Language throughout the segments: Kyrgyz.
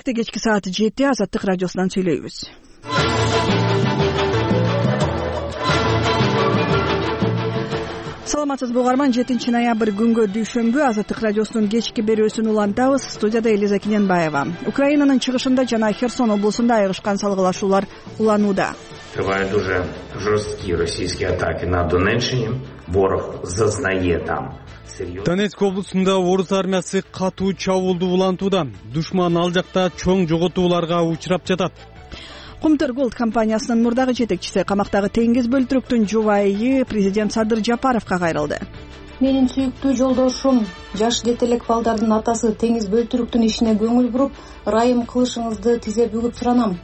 Кечки саат 7 Азаттык радиосунан сүйлөйбүз. Саламатсызбы угарман, 7 ноябрь күнгө дүйшөмбү Азаттык радиосунун кечки берүүсүн улантабыз. Студияда Элиза Кененбаева. Украинанын чыгышында жана Херсон облусунда айрышкан салгылашуулар уланууда. Тривають дуже жорсткі російські атаки на Донеччині. Ворог зазнає там. Донецк облусунда орус армиясы катуу чабуулду улантууда. Душман ал жакта чоң жоготууларга учурап жатат. Кумтөр Голд компаниясынын мурдагы жетекчиси камактагы теңиз бөлтүрүктүн жубайы президент Садыр Жапаровго кайрылды. Менин сүйүктүү жолдошум, жаш жетелек балдардын атасы теңиз бөлтүрүктүн ишине көңүл буруп, ырайым кылышыңызды тизе бүгүп суранам.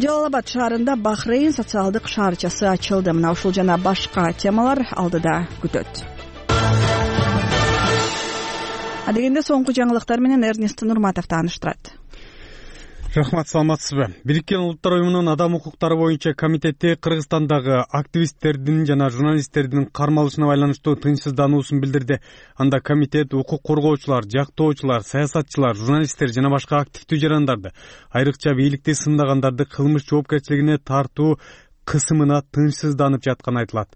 Жалал-Абад шаарында Бахрейн социалдык шаарчасы ачылды. Мына ушул жана башка темалар алдыда күтөт. Адегенде соңку жаңылыктар менен Эрнест Нурматов тааныштырат. Рахмат, саламатсызбы? Бириккен Улуттар уюмунун адам укуктары боюнча комитети Кыргызстандагы активисттердин жана журналисттердин кармалышына байланыштуу тынчсыздануусун билдирди. Анда комитет укук коргоочулар, жактоочулар, саясатчылар, журналисттер жана башка активдүү жарандарды, айрыкча бийликти сындагандарды кылмыш жоопкерчилигине тартуу кысымына тынчсызданып жатканы айтылат.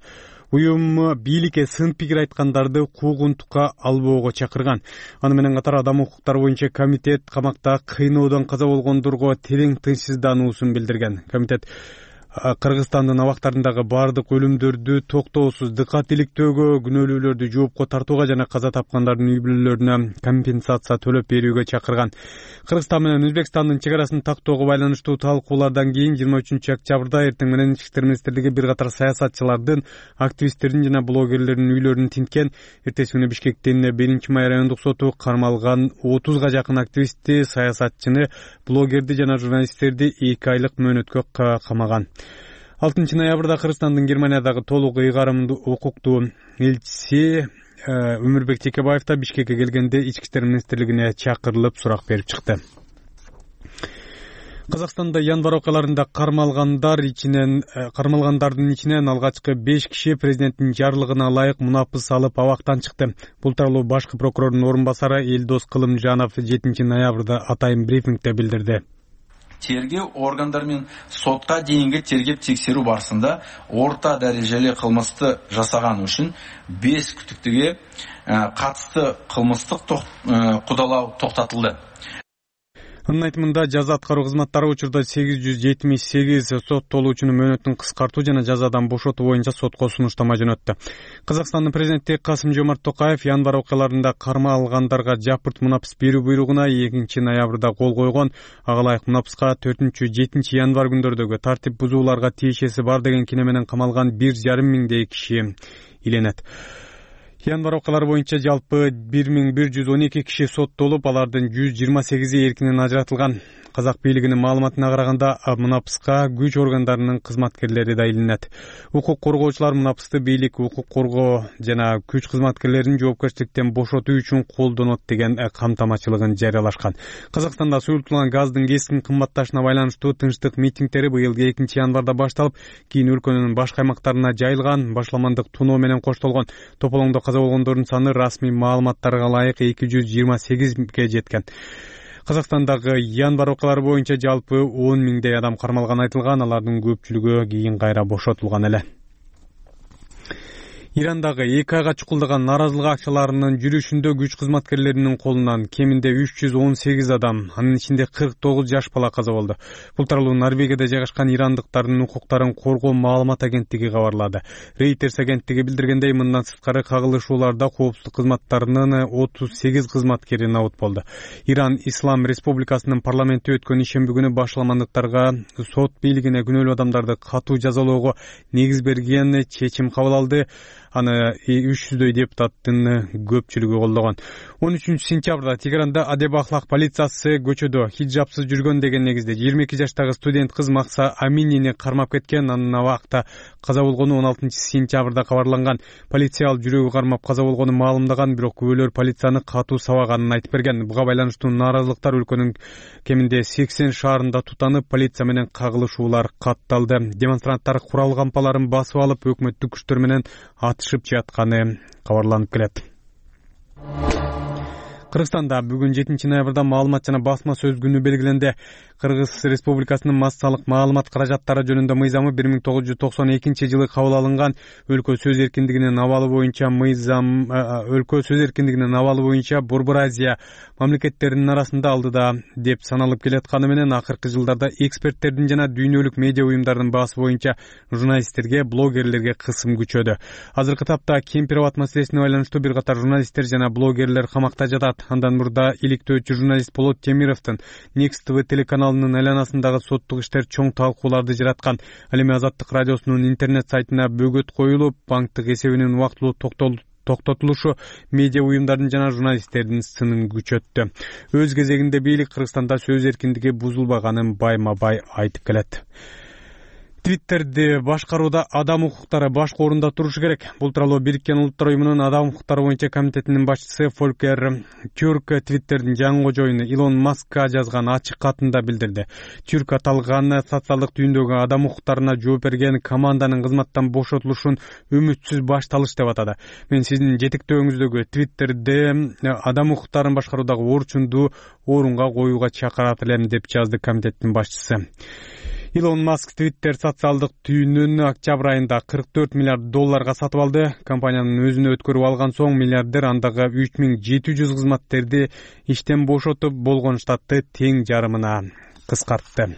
Уюм бийликке сын пикир айткандарды куугунтукка албоого чакырган. Аны менен катар адам укуктары боюнча комитет камакта кыйноодон каза болгондорго терең тынчсыздануусун билдирген. Комитет Кыргызстандын абактарындагы бардык өлүмдөрдү токтоосуз дыкат иликтөөгө, күнөөлүүлөрдү жоопко тартууга жана каза тапкандардын үй бүлөлөрүнө компенсация төлөп берүүгө чакырган. Кыргызстан менен Өзбекстандын чек арасын тактоого байланыштуу талкуулардан кийин 23 октябрда эртең менен Ички иштер министрлиги бир катар саясатчылардын, активисттердин жана блогерлердин үйлөрүн тинткен. Эртеси күнү Бишкектин 1-май райондук соту кармалган 30га жакын активистти, саясатчыны, блогерди жана журналисттерди 2 айлык мөөнөткө камаган. 6 ноябрда Кыргызстандын Германиядагы толук ыйгарымдуу укуктуу элчиси Өмүрбек Текебаев да Бишкекке келгенде Ички иштер министрлигине чакырылып сурак берип чыкты. Казакстанда январь окуяларында кармалгандардын ичинен алгачкы 5 киши президенттин жарлыгына ылайык мунапыс алып абактан чыкты. Бул тууралуу башкы прокурордун орун басары Элдос Кылымжанов 7 ноябрда атайын брифингде билдирди. Тергөө органдары менен сотка дейинги тергеп-текшерүү барысында орта дарежелүү кылмышты жасаган үчүн 5 күдүктүүгө катысты кылмыштык кудалоо токтотулду. Анын айтымында жаза аткаруу кызматтары учурда 878 соттолуучунун мөөнөтүн кыскартуу жана жазадан бошотуу боюнча сотко сунуштама жөнөттү. Казакстандын президенти Касым-Жомарт Токаев январь окуяларында кармалгандарга жапырт мунапыс берүү буйругуна 2 ноябрда кол койгон. Ага ылайык мунапыска 4-7 январь күндөрдөгү тартип бузууларга тиешеси бар деген кине менен камалган 1,5 миңдей киши иленет. Январь окуялары боюнча жалпы 1112 киши соттолуп, алардын 128и эркинен ажыратылган. Казак бийлигинин маалыматына караганда мунапыска күч органдарынын кызматкерлери да илинет. Укук коргоочулар мунапысты бийлик, укук коргоо жана күч кызматкерлерин жоопкерчиликтен бошотуу үчүн колдонот деген камтамачылыгын жарыялашкан. Казакстанда суюлтулган газдын кескин кымбатташына байланыштуу тынчтык митингдери быйыл 2 январда башталып, кийин өлкөнүн башка аймактарына жайылган. Башламандык туноо менен коштолгон. Тополоңдо каза болгондордун саны расмий маалыматтарга ылайык 228ге жеткен. Казакстандагы январь окуялары боюнча жалпы 10 миңдей адам кармалганы айтылган, алардын көпчүлүгү кийин кайра бошотулган эле. Ирандагы 2 айга чукулдаган нааразылык акчаларынын жүрүшүндө күч кызматкерлеринин колунан кеминде 318 адам, анын ичинде 49 жаш бала каза болду. Бул тууралуу Норвегияда жайгашкан ирандыктардын укуктарын коргоо маалымат агенттиги кабарлады. Reuters агенттиги билдиргендей, мындан сырткары кагылышууларда коопсуздук кызматтарынын 38 кызматкери набыт болду. Иран Ислам Республикасынын парламенти өткөн ишемби күнү башламандыктарга сот бийлигине күнөөлүү адамдарды катуу жазалоого негиз берген чечим кабыл алды. Аны 300дөй депутаттын көпчүлүгү колдогон. 13 сентябрда Тегеранда адеп ахлак полициясы көчөдө хиджапсыз жүргөн деген негизде 22 жаштагы студент кыз Макса Аминини кармап кеткен. Анын абакта каза болгону 16 сентябрда кабарланган. Полиция ал жүрөгү кармап каза болгону маалымдаган, бирок күбөлөр полицияны катуу сабаганын айтып берген. Буга байланыштуу нааразылыктар өлкөнүн кеминде 80 шаарында тутанып, полиция менен кагылышуулар катталды. Демонстранттар курал кампаларын басып алып, өкмөттүк күчтөр менен атышып жатканы кабарланып келет. Кыргызстанда бүгүн 7 ноябрда маалымат жана басма сөз күнү белгиленди. Кыргыз Республикасынын массалык маалымат каражаттары жөнүндө мыйзамы 1992-жылы кабыл алынган. Өлкө сөз эркиндигинин абалы боюнча Борбор Азия мамлекеттеринин арасында алдыда деп саналып келатканы менен акыркы жылдарда эксперттердин жана дүйнөлүк медиа уюмдардын баасы боюнча журналисттерге, блогерлерге кысым күчөдү. Азыркы тапта Кемпир-Абад маселесине байланыштуу бир катар журналисттер жана блогерлер камакта жатат. Андан мурда иликтөөчү журналист Болот Темировдун Next TV телеканалынын айланасындагы соттук иштер чоң талкууларды жараткан. Ал эми Азаттык радиосунун интернет сайтына бөгөт коюлуп, банктык эсебинин убактылуу токтотулушу медиа уюмдардын жана журналисттердин сынын күчөттү. Өз кезегинде бийлик Кыргызстанда сөз эркиндиги бузулбаганын байма-бай айтып келет. Твиттерди башкарууда адам укуктары башкы орунда турушу керек. Бул тууралуу Бириккен Улуттар уюмунун адам укуктары боюнча комитетинин башчысы Фолькер Тюрк Твиттердин жаңы кожоюну Илон Маскка жазган ачык катында билдирди. Тюрк аталган социалдык түйүндөгү адам укуктарына жооп берген команданын кызматтан бошотулушун үмүтсүз башталыш деп атады. Мен сиздин жетектөөңүздөгү Твиттерди адам укуктарын башкаруудагы орчундуу орунга коюуга чакырат элем деп жазды комитеттин башчысы. Илон Маск Twitter социалдык түйүнүн октябрь айында $44 миллиард сатып алды. Компаниянын өзүнө өткөрүп алган соң миллиардер андагы 3700 кызматкерди иштен бошотуп, болгон штатты тең жарымына кыскартты.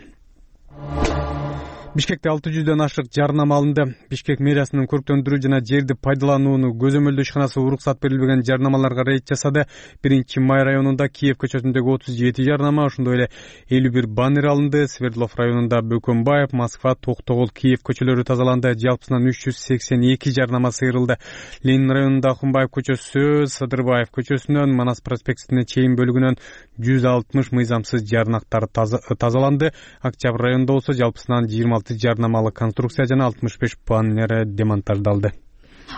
Бишкекте 600дөн ашык жарнама алынды. Бишкек мэриясынын көрктөндүрүү жана жерди пайдаланууну көзөмөлдөө ишканасы уруксат берилбеген жарнамаларга рейд жасады. 1-Май районунда Киев көчөсүндөгү 37 жарнама, ошондой эле 51 баннер алынды. Свердлов районунда Бөкөнбаев, Москва, Токтогул, Киев көчөлөрү тазаланды. Жалпысынан 382 жарнама сыйрылды. Ленин районунда Ахунбаев көчөсү, Садырбаев көчөсүнөн Манас проспектине чейин бөлүгүнөн 160 мыйзамсыз жарнактар тазаланды. Октябрь районунда болсо жалпысынан 26 жарнамалык конструкция жана 65 баннер демонтаждалды.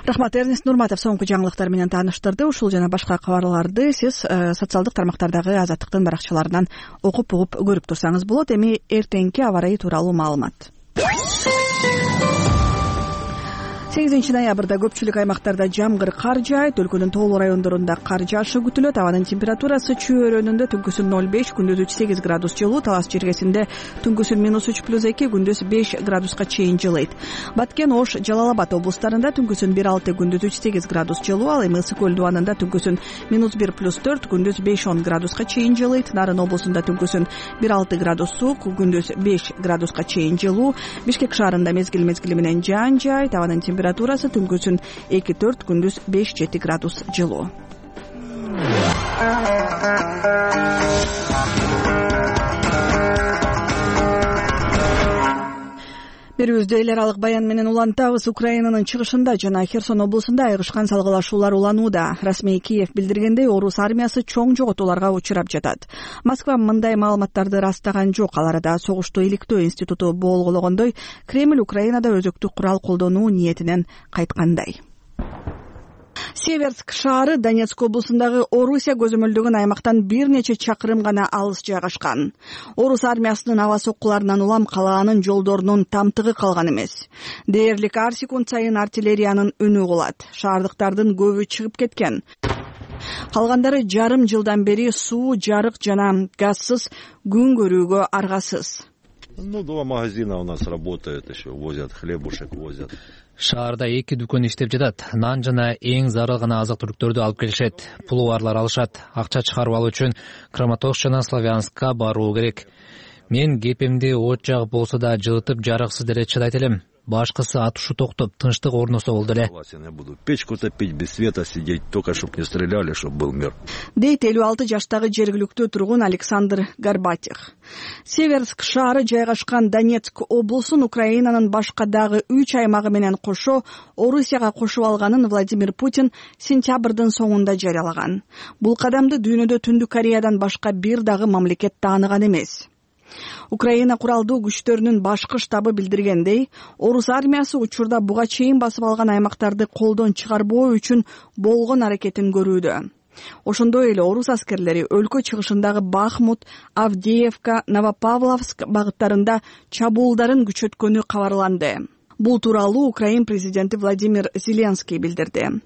Рахмат, Эрнест Нурматов соңку жаңылыктар менен тааныштырды. Ушул жана башка кабарларды сиз социалдык тармактардагы Азаттыктын баракчаларынан окуп угуп көрүп турсаңыз болот. Эми эртеңки аба ырайы тууралуу маалымат. 8 ноябрда көпчүлүк аймактарда жамгыр кар жаайт. Өлкөнүн тоолуу райондорунда кар жаашы күтүлөт. Абанын температурасы чөйрөнүндө түнкүсүн 0,5, күндүз 8 градус жылуу, Талас жергесинде түнкүсүн -3+2, күндүз 5 градуска чейин жылыйт. Баткен, Ош, Жалал-Абад облустарында түнкүсүн 1,6, күндүз 3,8 градус жылуу, ал эми Ысык көл дубанында түнкүсүн -1+4, күндүз 5-10 градуска чейин жылыйт. Нарын облусунда түнкүсүн 1,6 градус суук, күндүз 5 градуска чейин жылуу. Бишкек шаарында мезгил менен жаан жаайт. Абанын температурасы түнкүсүн 2-4, күндүз 5-7 градус жылуу. Берүүбүздү эл аралык баян менен улантабыз. Украинанын чыгышында жана Херсон облусунда айрышкан салгылашуулар уланууда. Расмий Киев билдиргендей, орус армиясы чоң жоготууларга учурап жатат. Москва мындай маалыматтарды ырастаган жок. Ал арада согушту иликтөө институту болгондой, Кремль Украинада өзөктүк курал колдонуу ниетинен кайткандай. Северск шаары Донецк облусундагы Орусия көзөмөлдөгөн аймактан бир нече чакырым гана алыс жайгашкан. Орус армиясынын аба соккуларынан улам калаанын жолдорунун тамтыгы калган эмес. Дээрлик ар секунд сайын артиллериянын үнү угулат. Шаардыктардын көбү чыгып кеткен. Калгандары жарым жылдан бери суу, жарык жана газсыз күн көрүүгө аргасыз. Два магазина у нас работают, еще возят хлебушек, возят. Шаарда 2 дүкөн иштеп жатат. Нан жана эң зарыл гана азык-түлүктөрдү алып келишет. Пулубарлар алышат. Акча чыгарып алуу үчүн Краматорск жана Славянскка баруу керек. Мен кепемди от жагып болсо да жылытып жарыксыз деле чыдайт элем. Башкысы атышу токтоп, тынчтык орносо болду эле. Я буду печку топить, без света сидеть, только чтоб не стреляли, чтоб был мир. Дейт 56 жаштагы жергиликтүү тургун Александр Горбатих. Северск шаары жайгашкан Донецк облусун Украинанын башка дагы 3 аймагы менен кошо Орусияга кошуп алганын Владимир Путин сентябрдын соңунда жарыялаган. Бул кадамды дүйнөдө Түндүк Кореядан башка бир дагы мамлекет тааныган эмес. Украина куралдуу күчтөрүнүн башкы штабы билдиргендей, орус армиясы учурда буга чейин басып алган аймактарды колдон чыгарбоо үчүн болгон аракетин көрүүдө. Ошондой эле орус аскерлери өлкө чыгышындагы Бахмут, Авдеевка, Новопавловск багыттарында чабуулдарын күчөткөнү кабарланды. Бул тууралуу Украин президенти Владимир Зеленский билдирди.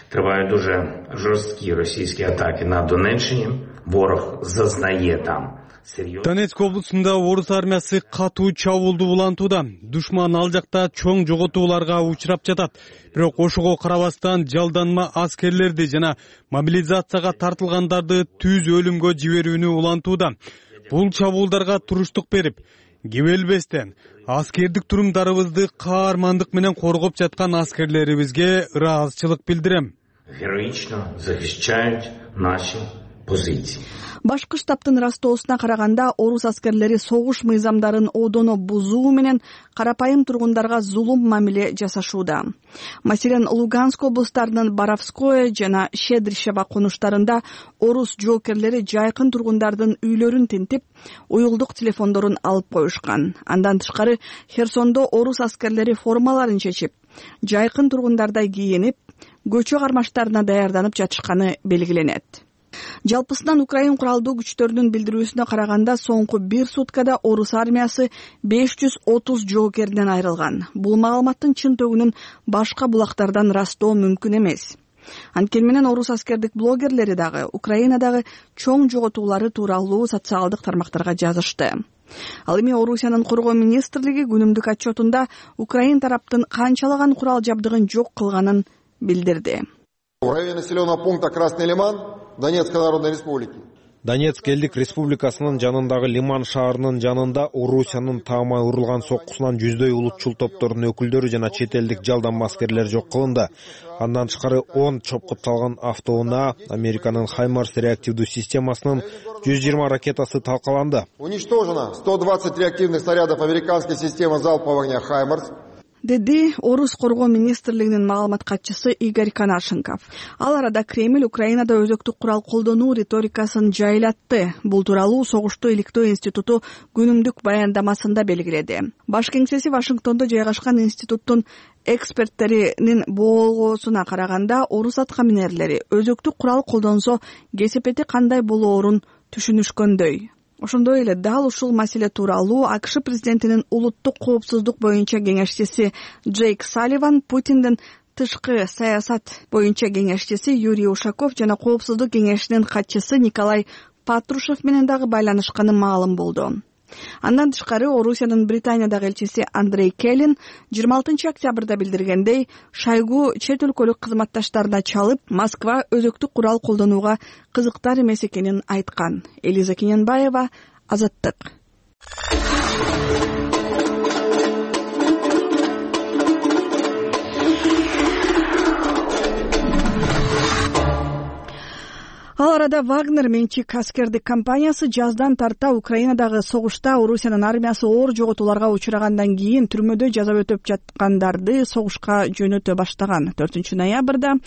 Тривають дуже жорсткі російські атаки на Донеччині. Ворог зазнає там. Донецк облусунда орус армиясы катуу чабуулду улантууда. Душман ал жакта чоң жоготууларга учурап жатат. Бирок ошого карабастан жалданма аскерлерди жана мобилизацияга тартылгандарды түз өлүмгө жиберүүнү улантууда. Бул чабуулдарга туруштук берип, кебелбестен аскердик турумдарыбызды каармандык менен коргоп жаткан аскерлерибизге ыраазычылык билдирем. Героично захищають наші позиції. Башкы штабтын растоосуна караганда орус аскерлери согуш мыйзамдарын одоно бузуу менен карапайым тургундарга зулум мамиле жасашууда. Маселен, Луганск облустарынын Боровское жана Щедрищево конуштарында орус жоокерлери жайкын тургундардын үйлөрүн тинтип, уюлдук телефондорун алып коюшкан. Андан тышкары Херсондо орус аскерлери формаларын чечип, жайкын тургундардай кийинип, көчө кармаштарына даярданып жатышканы белгиленет. Жалпысынан Украин куралдуу күчтөрүнүн билдирүүсүнө караганда соңку бир суткада орус армиясы 530 жоокерден айрылган. Бул маалыматтын чын төгүнүн башка булактардан ырастоо мүмкүн эмес. Анткени менен орус аскердик блогерлери дагы Украинадагы чоң жоготуулары тууралуу социалдык тармактарга жазышты. Ал эми Орусиянын коргоо министрлиги күнүмдүк отчетунда Украин тараптын канчалаган курал жабдыгын жок кылганын билдирди. В районе населенного пункта Красный Лиман Донецкой Народной Республики. Донецк элдик республикасынын жанындагы Лиман шаарынын жанында Орусиянын таамай урулган соккусунан жүздөй улутчул топтордун өкүлдөрү жана чет элдик жалданма аскерлер жок кылынды. Андан тышкары 10 чопкутталган автоунаа, Американын Хаймарс реактивдүү системасынын 120 ракетасы талкаланды. Уничтожено 120 реактивных снарядов американской системы залпового огня Хаймарс. Деди Орус коргоо министрлигинин маалымат катчысы Игорь Конашенков. Ал арада Кремль Украинада өзөктүк курал колдонуу риторикасын жайлатты. Бул тууралуу Согушту иликтөө институту күнүмдүк баяндамасында белгиледи. Баш кеңсеси Вашингтондо жайгашкан институттун эксперттеринин болгоосуна караганда, орус аткаминерлери өзөктүк курал колдонсо кесепети кандай болоорун түшүнүшкөндөй. Ошондой эле дал ушул маселе тууралуу АКШ президентинин улуттук коопсуздук боюнча кеңешчиси Джейк Салливан, Путиндин тышкы саясат боюнча кеңешчиси Юрий Ушаков жана коопсуздук кеңешинин катчысы Николай Патрушев менен дагы байланышканы маалым болду. Андан тышкары Орусиянын Британиядагы элчиси Андрей Келлин 26 октябрда билдиргендей, Шойгу чет өлкөлүк кызматташтарына чалып, Москва өзөктүк курал колдонууга кызыктар эмес экенин айткан. Элиза Кененбаева, Азаттык. Ал арада Вагнер менчик аскердик компаниясы жаздан тарта Украинадагы согушта Орусиянын армиясы оор жоготууларга учурагандан кийин түрмөдө жаза өтөп жаткандарды согушка жөнөтө баштаган. 4 ноябрда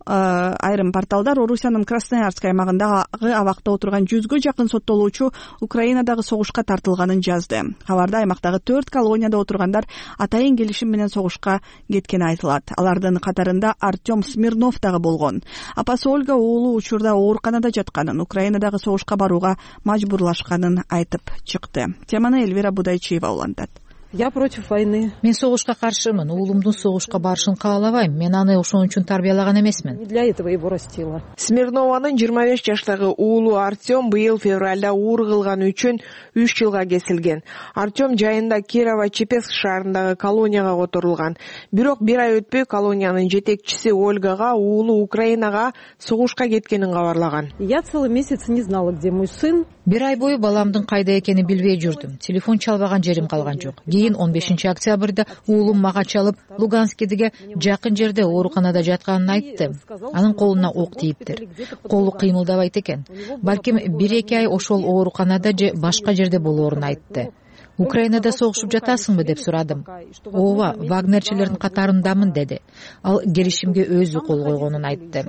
айрым порталдар Орусиянын Красноярск аймагындагы абакта отурган 100гө жакын соттолуучу Украинадагы согушка тартылганын жазды. Кабарда аймактагы 4 колонияда отургандар атайын келишим менен согушка кеткени айтылат. Алардын катарында Артем Смирнов дагы болгон. Апасы Ольга уулу учурда ооруканада жатканын, Украинадагы согушка барууга мажбурлашканын айтып чыкты. Теманы Эльвира Будайчиева улантат. Я против войны. Мен согушка каршымын. Уулумдун согушка барышын каалабайм. Мен аны ошон үчүн тарбиялаган эмесмин. Не для этого его растила. Смирнованын 25 жаштагы уулу Артем быйыл февралда уур кылганы үчүн 3 жылга кесилген. Артем жайында Кирово-Чепецк шаарындагы колонияга которулган. Бирок бир ай өтпөй колониянын жетекчиси Ольгага уулу Украинага согушка кеткенин кабарлаган. Я целый месяц не знала, где мой сын. Бир ай бою баламдын кайда экенин билбей жүрдүм. Телефон чалбаган жерим калган жок. Кийин 15 октябрда уулум мага чалып, Луганскидеге жакын жерде ооруканада жатканын айтты. Анын колуна ок тийиптир. Колу кыймылдабайт экен. Балким 1-2 ай ошол ооруканада же башка жерде болоорун айтты. Украинада согушуп жатасыңбы деп сурадым. Ооба, Вагнерчилердин катарындамын деди. Ал келишимге өзү кол койгонун айтты.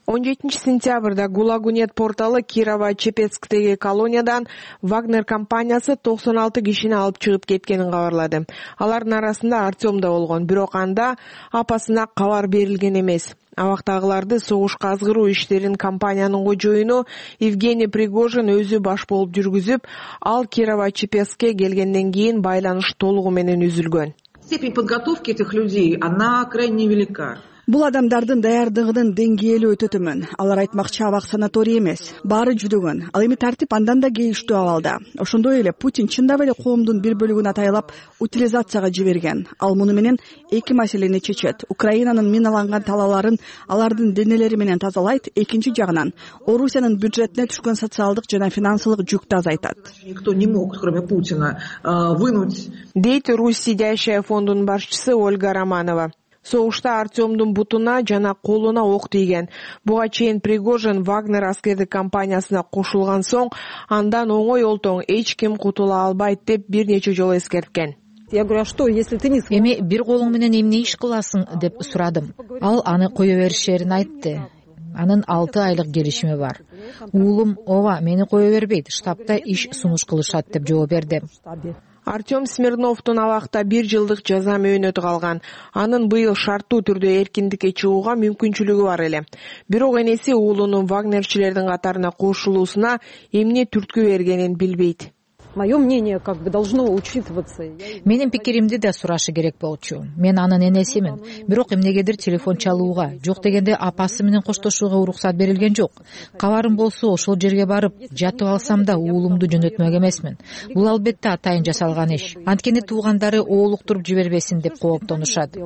17 сентябрда Гулагунет порталы Кирово-Чепецктеги колониядан Вагнер компаниясы 96 кишини алып чыгып кеткенин кабарлады. Алардын арасында Артем да болгон, бирок анда апасына кабар берилген эмес. Абактагыларды согушка азгыруу иштерин компаниянын кожоюну Евгений Пригожин өзү баш болуп жүргүзүп, ал Кирово-Чепецкке келгенден кийин байланыш толугу менен үзүлгөн. Степень подготовки этих людей, она крайне велика. Бул адамдардын даярдыгынын деңгээли өтө төмөн. Алар айтмакчы абак санаторий эмес, баары жүдөгөн. Ал эми тартип андан да кейиштүү абалда. Ошондой эле Путин чындап эле коомдун бир бөлүгүн атайлап утилизацияга жиберген. Ал муну менен эки маселени чечет. Украинанын миналанган талааларын алардын денелери менен тазалайт, экинчи жагынан Орусиянын бюджетине түшкөн социалдык жана финансылык жүктү азайтат. Никто не мог, кроме Путина, вынуть. Дейт Русь сидящая фондунун башчысы Ольга Романова. Согушта Артемдун бутуна жана колуна ок тийген. Буга чейин Пригожин Вагнер аскердик компаниясына кошулган соң андан оңой олтоң эч ким кутула албайт деп бир нече жолу эскерткен. Я говорю, а что, если ты не... Эми бир колуң менен эмне иш кыласың деп сурадым. Ал аны кое беришерин айтты. Анын 6 айлык келишими бар. Уулум ооба мени кое бербейт, штабта иш сунуш кылышат деп жооп берди. Артем Смирновдун абакта 1 жылдык жаза мөөнөтү калган. Анын быйыл шарттуу түрдө эркиндикке чыгууга мүмкүнчүлүгү бар эле. Бирок энеси уулунун вагнерчилердин катарына кошулуусуна эмне түрткү бергенин билбейт. Мое мнение как бы должно учитываться. Менин пикиримди да сурашы керек болчу. Мен анын энесимин. Бирок эмнегедир телефон чалууга, жок дегенде апасы менен коштошууга уруксат берилген жок. Кабарым болсо ошол жерге барып, жатып алсам да уулумду жөнөтмөк эмесмин. Бул албетте атайын жасалган иш. Анткени туугандары оолуктуруп жибербесин деп кооптонушат.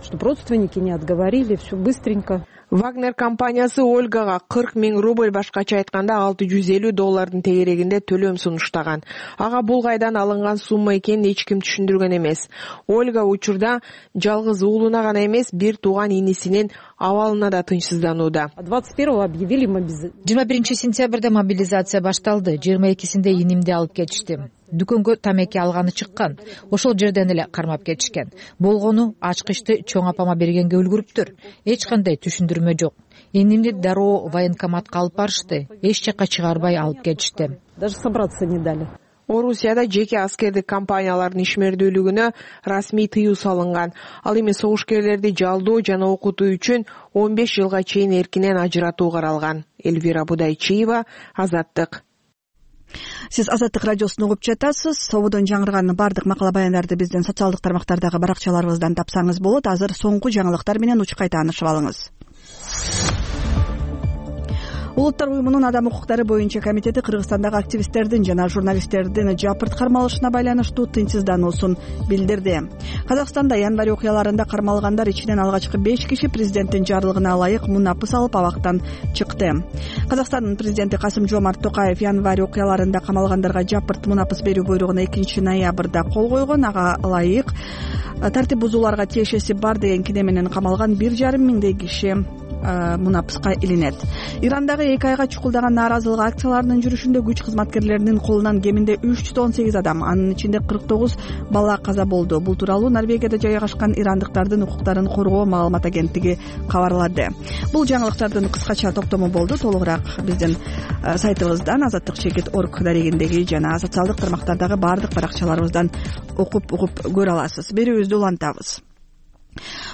Чтобы родственники не отговорили, все быстренько. Вагнер компаниясы Ольгага 40 000 рубль, башкача айтканда $650 тегерегинде төлөм сунуштаган. Ага бул кайдан алынган сумма экенин эч ким түшүндүргөн эмес. Ольга учурда жалгыз уулуна гана эмес, бир тууган инисинин абалына да тынчсызданууда. 21 сентябрда мобилизация башталды. 22-синде инимди алып кетишти. Дүкөнгө тамеки алганы чыккан. Ошол жерден эле кармап кетишкен. Болгону ачкычты чоң апама бергенге үлгүрүптүр. Эч кандай түшүндүрмө жок. Энимди дароо военкоматка алып барышты. Эч жакка чыгарбай алып кетишти. Даже собраться не дали. Орусияда жеке аскердик компаниялардын ишмердүүлүгүнө расмий тыюу салынган. Ал эми согушкерлерди жалдоо жана окутуу үчүн 15 жылга чейин эркинен ажыратуу каралган. Эльвира Будайчиева, Азаттык. Сиз Азаттык радиосун угуп жатасыз. Сободон жаңырган бардык макала баяндарды биздин социалдык тармактардагы баракчаларыбыздан тапсаңыз болот. Азыр соңку жаңылыктар менен учкай таанышып алыңыз. Улуттар уюмунун адам укуктары боюнча комитети Кыргызстандагы активисттердин жана журналисттердин жапырт кармалышына байланыштуу тынчсыздануусун билдирди. Казакстанда январь окуяларында кармалгандар ичинен алгачкы 5 киши президенттин жарлыгына ылайык мунапыс алып абактан чыкты. Казакстандын президенти Касым-Жомарт Токаев январь окуяларында камалгандарга жапырт мунапыс берүү буйругуна 2 ноябрда кол койгон. Ага ылайык тартип бузууларга тиешеси бар деген кине менен камалган 1,5 миңдей киши мунапыска илинет. Ирандагы 2 айга чукулдаган нааразылык акцияларынын жүрүшүндө күч кызматкерлеринин колунан кеминде 318 адам, анын ичинде 49 бала каза болду. Бул тууралуу Норвегияда жайгашкан ирандыктардын укуктарын коргоо маалымат агенттиги кабарлады. Бул жаңылыктардын кыскача топтому болду. Толугураак биздин сайтыбыздан azattik.org дарегиндеги жана социалдык тармактардагы бардык баракчаларыбыздан угуп көрө аласыз. Берүүбүздү улантабыз.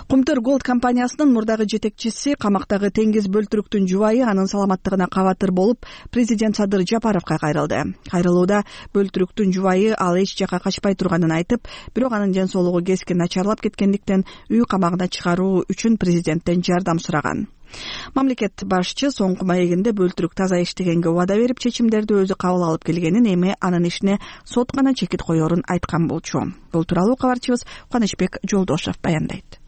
Кумтөр Голд компаниясынын мурдагы жетекчиси камактагы Теңиз Бөлтүрүктүн жубайы анын саламаттыгына кабатыр болуп, президент Садыр Жапаровго кайрылды. Кайрылууда Бөлтүрүктүн жубайы ал эч жакка качпай турганын айтып, бирок анын ден соолугу кескин начарлап кеткендиктен үй камагына чыгаруу үчүн президенттен жардам сураган. Мамлекет башчы соңку маегинде Бөлтүрүк таза иштегенге убада берип, чечимдерди өзү кабыл алып келгенин, эми анын ишине сот гана чекит коерун айткан болчу. Бул тууралуу кабарчыбыз Кубанычбек Жолдошев баяндайт.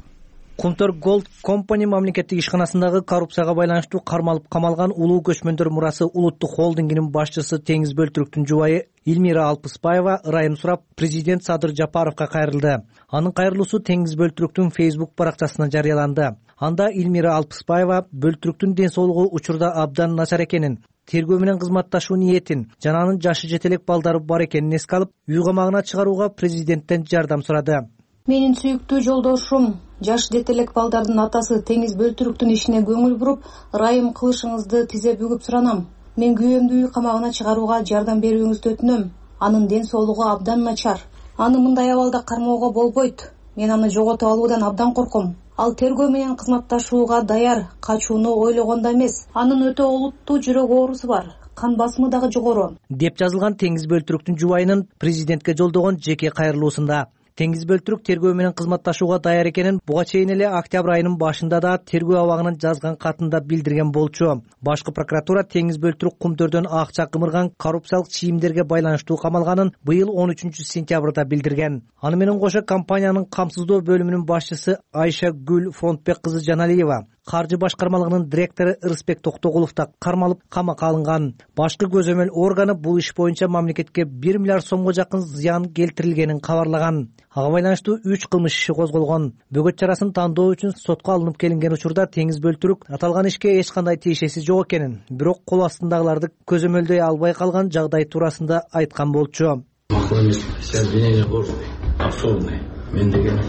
Кумтөр Голд Компани мамлекеттик ишканасындагы коррупцияга байланыштуу кармалып камалган улуу көчмөндөр мурасы улуттук холдингинин башчысы Теңиз Бөлтүрүктүн жубайы Эльмира Алпыспаева ырайым сурап, президент Садыр Жапаровго кайрылды. Анын кайрылуусу Теңиз Бөлтүрүктүн Facebook баракчасына жарыяланды. Анда Эльмира Алпыспаева Бөлтүрүктүн ден соолугу учурда абдан начар экенин, тергөө менен кызматташуу ниетин жана анын жашы жете элек балдары бар экенин эске алып, үй камагына чыгарууга президенттен жардам сурады. Менин сүйүктүү жолдошум, жаш жете элек балдардын атасы Теңиз Бөлтүрүктүн ишине көңүл буруп, ырайым кылышыңызды тизе бүгүп суранам. Мен күйөөмдү үй камагына чыгарууга жардам берүүңүздү өтүнөм. Анын ден соолугу абдан начар. Аны мындай абалда кармоого болбойт. Мен аны жоготуп алуудан абдан корком. Ал тергөө менен кызматташууга даяр, качууну ойлогондо эмес. Анын өтө олуттуу жүрөк оорусу бар. Кан басымы дагы жогору. Деп жазылган Теңиз Бөлтүрүктүн жубайынын президентке жолдогон жеке кайрылуусунда. Теңиз бөлтүрүк тергөө менен кызматташууга даяр экенин буга чейин эле октябрь айынын башында да тергөө абагынан жазган катында билдирген болчу. Башкы прокуратура Теңиз бөлтүрүк кумтөрдөн акча кымырган коррупциялык чийимдерге байланыштуу камалганын быйыл 13-сентябрда билдирген. Аны менен кошо компаниянын камсыздоо бөлүмүнүн башчысы Айша Гүл Фронтбек кызы Жаналиева, каржы башкармалыгынын директору Ырысбек Токтогулов да кармалып камакка алынган. Башкы көзөмөл органы бул иш боюнча мамлекетке 1 миллиард сомго жакын зыян келтирилгенин кабарлаган. Ага байланыштуу 3 кылмыш иши козголгон. Бөгөт чарасын тандоо үчүн сотко алынып келинген учурда Теңиз бөлтүрүк аталган ишке эч кандай тиешеси жок экенин, бирок кол астындагыларды көзөмөлдөй албай калган жагдай туурасында айткан болчу. Макул эмес, все обвинения ложные, абсурдные. Мен деген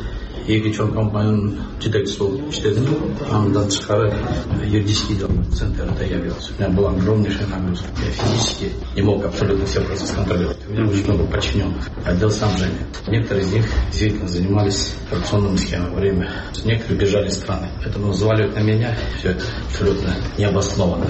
эки чоң компаниянын жетекчиси болуп иштедим. Андан тышкары юридический центрда явился. У меня была огромнейшая нагрузка. Я физически не мог абсолютно все процессы контролировать. У меня очень много подчиненных. Отдел снабжения. Некоторые из них действительно занимались коррупционными схемами во время. Некоторые бежали из страны. Поэтому взваливать на меня все это абсолютно необоснованно.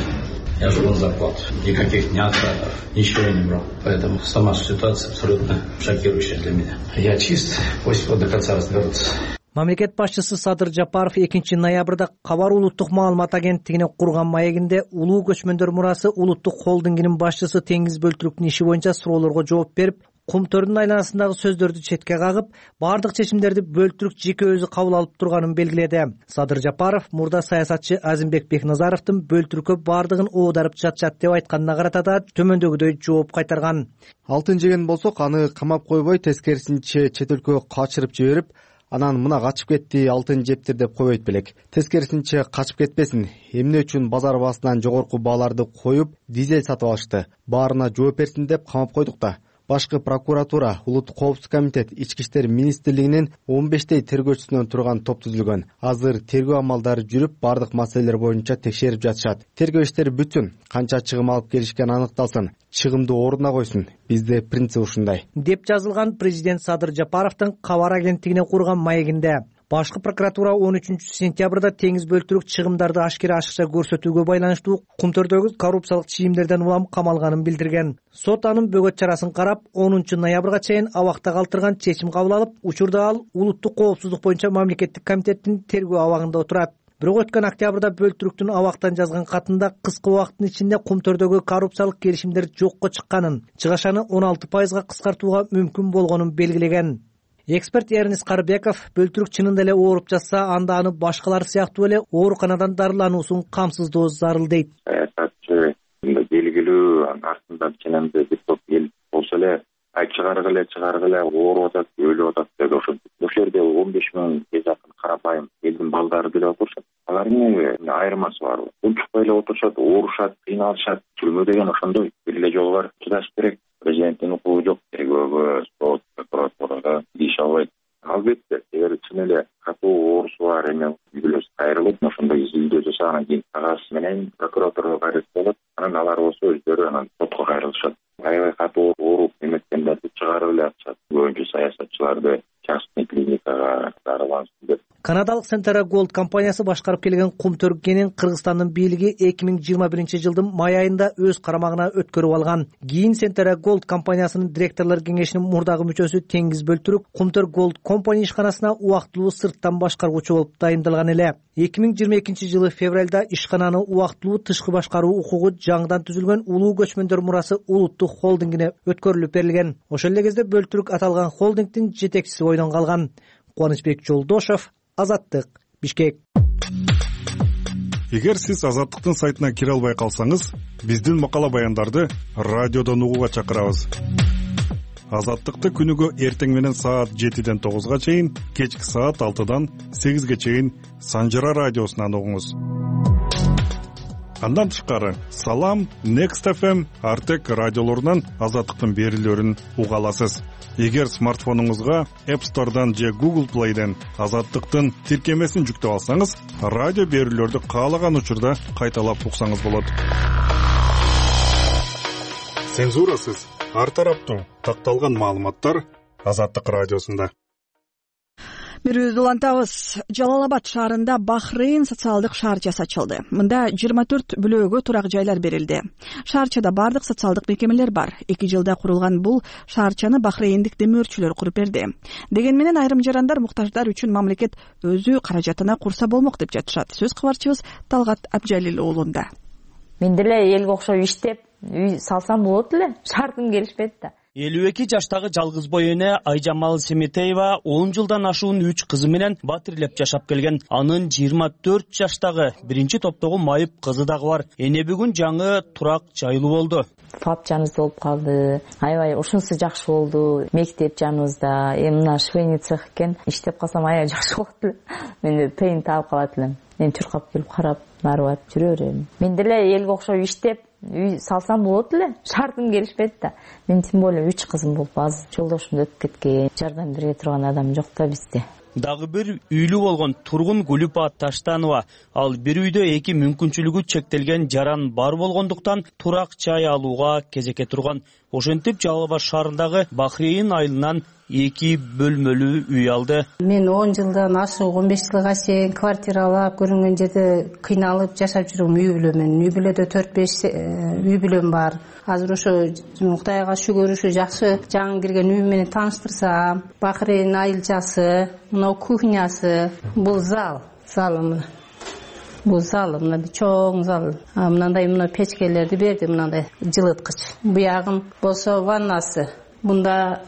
Я живу на зарплату. Никаких ни откатов, ничего я не брал. Поэтому сама ситуация абсолютно шокирующая для меня. Я чист, пусть до конца разберутся. Мамлекет башчысы Садыр Жапаров 2 ноябрда Кабар улуттук маалымат агенттигине курган маегинде улуу көчмөндөр мурасы улуттук холдингинин башчысы Теңиз бөлтүрүктүн иши боюнча суроолорго жооп берип, кумтөрдүн айланасындагы сөздөрдү четке кагып, бардык чечимдерди бөлтүрүк жеке өзү кабыл алып турганын белгиледи. Садыр Жапаров мурда саясатчы Азимбек Бекназаровдун бөлтүрүккө бардыгын оодарып жатчат деп айтканына карата да төмөндөгүдөй жооп кайтарган. Алтын жеген болсок, аны камап койбой, тескерисинче чет өлкөгө качырып жиберип, анан мына качып кетти, алтын жептир деп койбойт белек. Тескерисинче качып кетпесин. Эмне үчүн базар баасынан жогорку бааларды коюп, дизель сатып алышты? Баарына жооп берсин деп камап койдук да. Башкы прокуратура, Улуттук коопсуздук комитет, Ички иштер министрлигинин 15 тергөөчүсүнөн турган топ түзүлгөн. Азыр тергөө амалдары жүрүп, бардык маселелер боюнча текшерип жатышат. Тергөө иштери бүтүн, канча чыгым алып келишкен анықталсын, чыгымды ордуна койсун. Бизде принцип ушундай. Деп жазылган президент Садыр Жапаровдун Кабар агенттигине курган маегинде. Башкы прокуратура 13-сентябрда Теңиз бөлтүрүк чыгымдарды ашыкча көрсөтүүгө байланыштуу кумтөрдөгү коррупциялык чийимдерден улам камалганын билдирген. Сот анын бөгөт чарасын карап, 10 ноябрга чейин абакта калтырган чечим кабыл алып, учурда ал улуттук коопсуздук боюнча мамлекеттик комитеттин тергөө абагында отурат. Бирок өткөн октябрда бөлтүрүктүн абактан жазган катында кыска убакыттын ичинде кумтөрдөгү коррупциялык келишимдер жокко чыкканын, чыгашаны 16% кыскартууга мүмкүн болгонун белгилеген. Эксперт Эрнис Карбеков бөлтүрүк чынында эле ооруп жатса, анда аны башкалар сыяктуу эле ооруканадан дарылануусун камсыздоо зарыл дейт. Саясатчы белгилүү артында ченемде бир топ эл болсо эле чыгаргыла ооруп атат, өлүп атат деп ошентип. Ошол жерде 15,000 жакын карапайым элдин балдары деле отурушат. Алардын айырмасы бар. Унчукпай эле отурушат, оорушат, кыйналышат. Түрмө деген ошондой бир эле жол бар. Чыдаш керек. Президенттин укугу жок. Тергөөгө, сот, прокуратурага тийише албайт. Албетте, эгер чын эле катуу оорусу бар эме үйлөс кайрылып, ошондой изилдөө жасагандан кийин кагаз менен прокуратурага кайрылып болот. Анан алар болсо өздөрү анан сотко кайрылышат. Аябай катуу ооруп эметкендерди чыгарып эле атышат. Көбүнчө саясатчыларды частный клиникага дарылансын деп. Канадалык Centera Gold компаниясы башкарып келген кумтөргенин Кыргызстандын бийлиги 2021-жылдын май айында өз карамагына өткөрүп алган. Кийин Centera Gold компаниясынын директорлор кеңешинин мурдагы мүчөсү Теңиз бөлтүрүк Кумтөр Gold компани ишканасына убактылуу сырттан башкаргучу болуп дайындалган эле. 2022-жылы февралда ишкананы убактылуу тышкы башкаруу укугу жаңыдан түзүлгөн улуу көчмөндөр мурасы улуттук холдингине өткөрүлүп берилген. Ошол эле кезде бөлтүрүк аталган холдингдин жетекчиси бойдон калган. Кубанычбек Жолдошов, Азаттык, Бишкек. Эгер сиз Азаттыктын сайтына кире албай калсаңыз, биздин макала баяндарды радиодон угууга чакырабыз. Азаттыкты күнүгө эртең менен саат 7-ден 9-га чейин, кечки саат 6-дан 8-ге чейин Санжара радиосунан угуңуз. Андан тышкары Салам, Next FM, Артек радиолорунан Азаттыктын берүүлөрүн уга аласыз. Эгер смартфонуңузга App Store'дан же Google Play'ден Азаттыктын тиркемесин жүктөп алсаңыз, радио берүүлөрдү каалаган учурда кайталап уксаңыз болот. Цензурасыз, ар тараптуу такталган маалыматтар Азаттык радиосунда. Бирөөздү улантабыз. Жалал Абад шаарында Бахрейн социалдык шаарчасы ачылды. Мында 24 бүлөөгө турак жайлар берилди. Шаарчада бардык социалдык мекемелер бар. 2 жылда курулган бул шаарчаны бахрейндик демөөрчүлөр куруп берди. Деген менен айрым жарандар муктаждар үчүн мамлекет өзү каражатына курса болмок деп жатышат. Сөз кабарчыбыз Талгат Абжалил уулунда. Мен деле элге окшоп иштеп, үй салсам болот эле. Шартым келишпейт да. 52 жаштагы жалгыз бой эне Айжамал Семетеева 10 жылдан ашуун 3 кызы менен батирлеп жашап келген. Анын 24 жаштагы биринчи топтогу майып кызы дагы бар. Эне бүгүн жаңы турак жайлуу болду. ФАП жаныбызда болуп калды. Аябай ушунусу жакшы болду. Мектеп жаныбызда, мына швейный цех экен. Иштеп калсам аябай жакшы болот эле. Мен тыйын таап калат элем. Мен чуркап келип карап, нарып жүрө берем. Мен деле элге окшоп иштеп, үй салсам болот эле. Шартым келишпейт да. Мен тем более 3 кызым болуп, азыр жолдошум өтүп кеткен. Жардам бере турган адам жок да бизде. Дагы бир үйлүү болгон тургун Гүлүпа Таштанова. Ал бир үйдө 2 мүмкүнчүлүгү чектелген жаран бар болгондуктан турак жай алууга кезекке турган. Ошентип Жалал Абад шаарындагы Бахрейн айылынан 2 бөлмөлүү үй алды. Мен 10 жылдан ашык 15 жылга чейин квартира алып, көрүнгөн жерде кыйналып жашап жүрөм үй бүлөмөн. Үй бүлөдө 4-5 үй бүлөм бар. Азыр ошо Кудайга шүгүр ушу жакшы жаңы кирген үй менен тааныштырсам, Бахрейн айылчасы, мына кухнясы, бул залым. Бул зал, мына чоң зал. Мындай печкелерди берди, мындай жылыткыч. Буягын болсо ваннасы. Бунда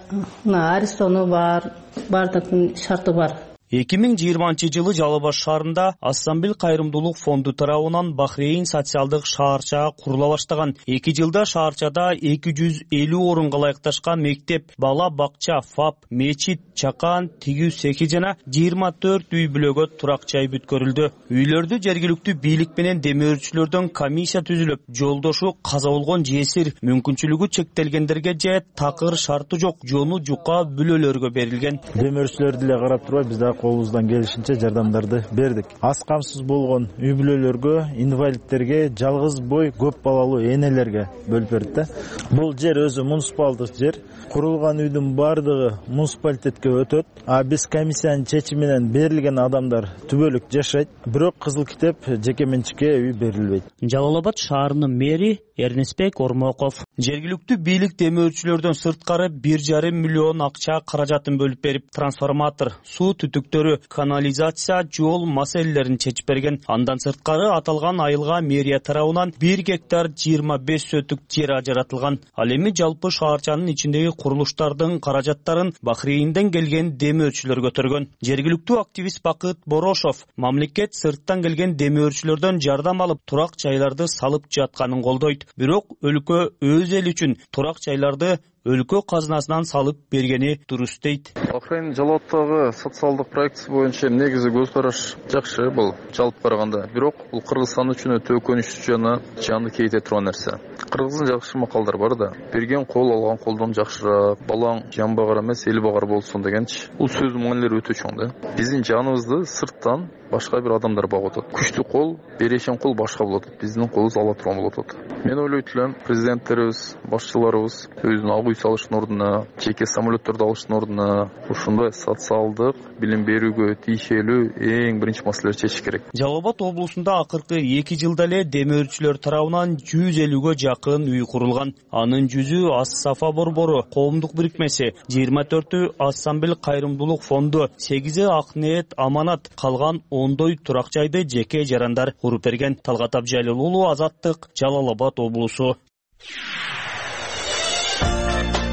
арестону бар, бардык шарты бар. 2020 жылы Жалал Абад шаарында Ассамбил кайрымдуулук фонду тарабынан Бахрейн социалдык шаарча курула баштаган. 2 жылда шаарчада 250 орунга ылайыкташкан мектеп, бала бакча, ФАП, мечит, чакан, тигүү цехи жана 24 үй бүлөгө турак жай бүткөрүлдү. Үйлөрдү жергиликтүү бийлик менен демөөрчүлөрдөн комиссия түзүлүп, жолдошу каза болгон жесир, мүмкүнчүлүгү чектелгендерге же такыр шарты жок жону жука бүлөлөргө берилген. Демөөрчүлөрдү эле карап турбай биз колубуздан келишинче жардамдарды бердик. Аз камсыз болгон үй бүлөлөргө, инвалидтерге, жалгыз бой көп балалуу энелерге бөлүп берди да. Бул жер өзү муниципалдык жер. Курулган үйдүн бардыгы муниципалитетке өтөт. А биз комиссиянын чечими менен берилген адамдар түбөлүк жашайт. Бирок кызыл китеп жеке менчикке үй берилбейт. Жалал Абад шаарынын мэри Эрнесбек Ормоков жергиликтүү бийлик демөөрчүлөрдөн сырткары 1,5 миллион акча каражатын бөлүп берип, трансформатор, суу түтүктөрү, канализация, жол маселелерин чечип берген. Андан сырткары аталган айылга мэрия тарабынан 1 гектар 25 сөтүк жер ажыратылган. Ал эми жалпы шаарчанын ичиндеги курулуштардын каражаттарын Бахрейнден келген демөөрчүлөр көтөргөн. Жергиликтүү активист Бакыт Борошов мамлекет сырттан келген демөөрчүлөрдөн жардам алып, турак жайларды салып жатканын колдойт. Бирок өлкө өз эл үчүн турак жайларды өлкө казынасынан салып бергени турус дейт. Бахрейн Жалал Абадтагы социалдык проектisi боюнча негизи көз караш жакшы, бул жалпы караганда. Бирок бул Кыргызстан үчүн өтө өкүнүчтүү жана жанды кейте турган нерсе. Кыргыздын жакшы макалдар бар да. Берген кол алган колдон жакшыраак, балаң жан багар эмес, эл багар болсун дегенчи. Бул сөздүн маанилери өтө чоң да. Биздин жаныбызды сырттан башка бир адамдар багып атат. Күчтүү кол, берешен кол башка болот. Биздин колубуз ала турган болот атат. Мен ойлойт элем, президенттерибиз, башчыларыбыз өзүнүн үй салыштын ордуна, жеке самолеттерди алыштын ордуна ушундай социалдык билим берүүгө тийшелүү эң биринчи маселени чечиш керек. Жалал Абад облусунда акыркы 2 жылда эле демөөрчүлөр тарабынан 150ге жакын үй курулган. Анын 100ü Ас-Сафа борбору коомдук бирикмеси, 24ü Ассамбил кайрымдуулук фонду, 8-и Акниет Аманат, калган ондой турак жайды жеке жарандар куруп берген. Талгат Абжалил уулу, Азаттык, Жалал Абад облусу.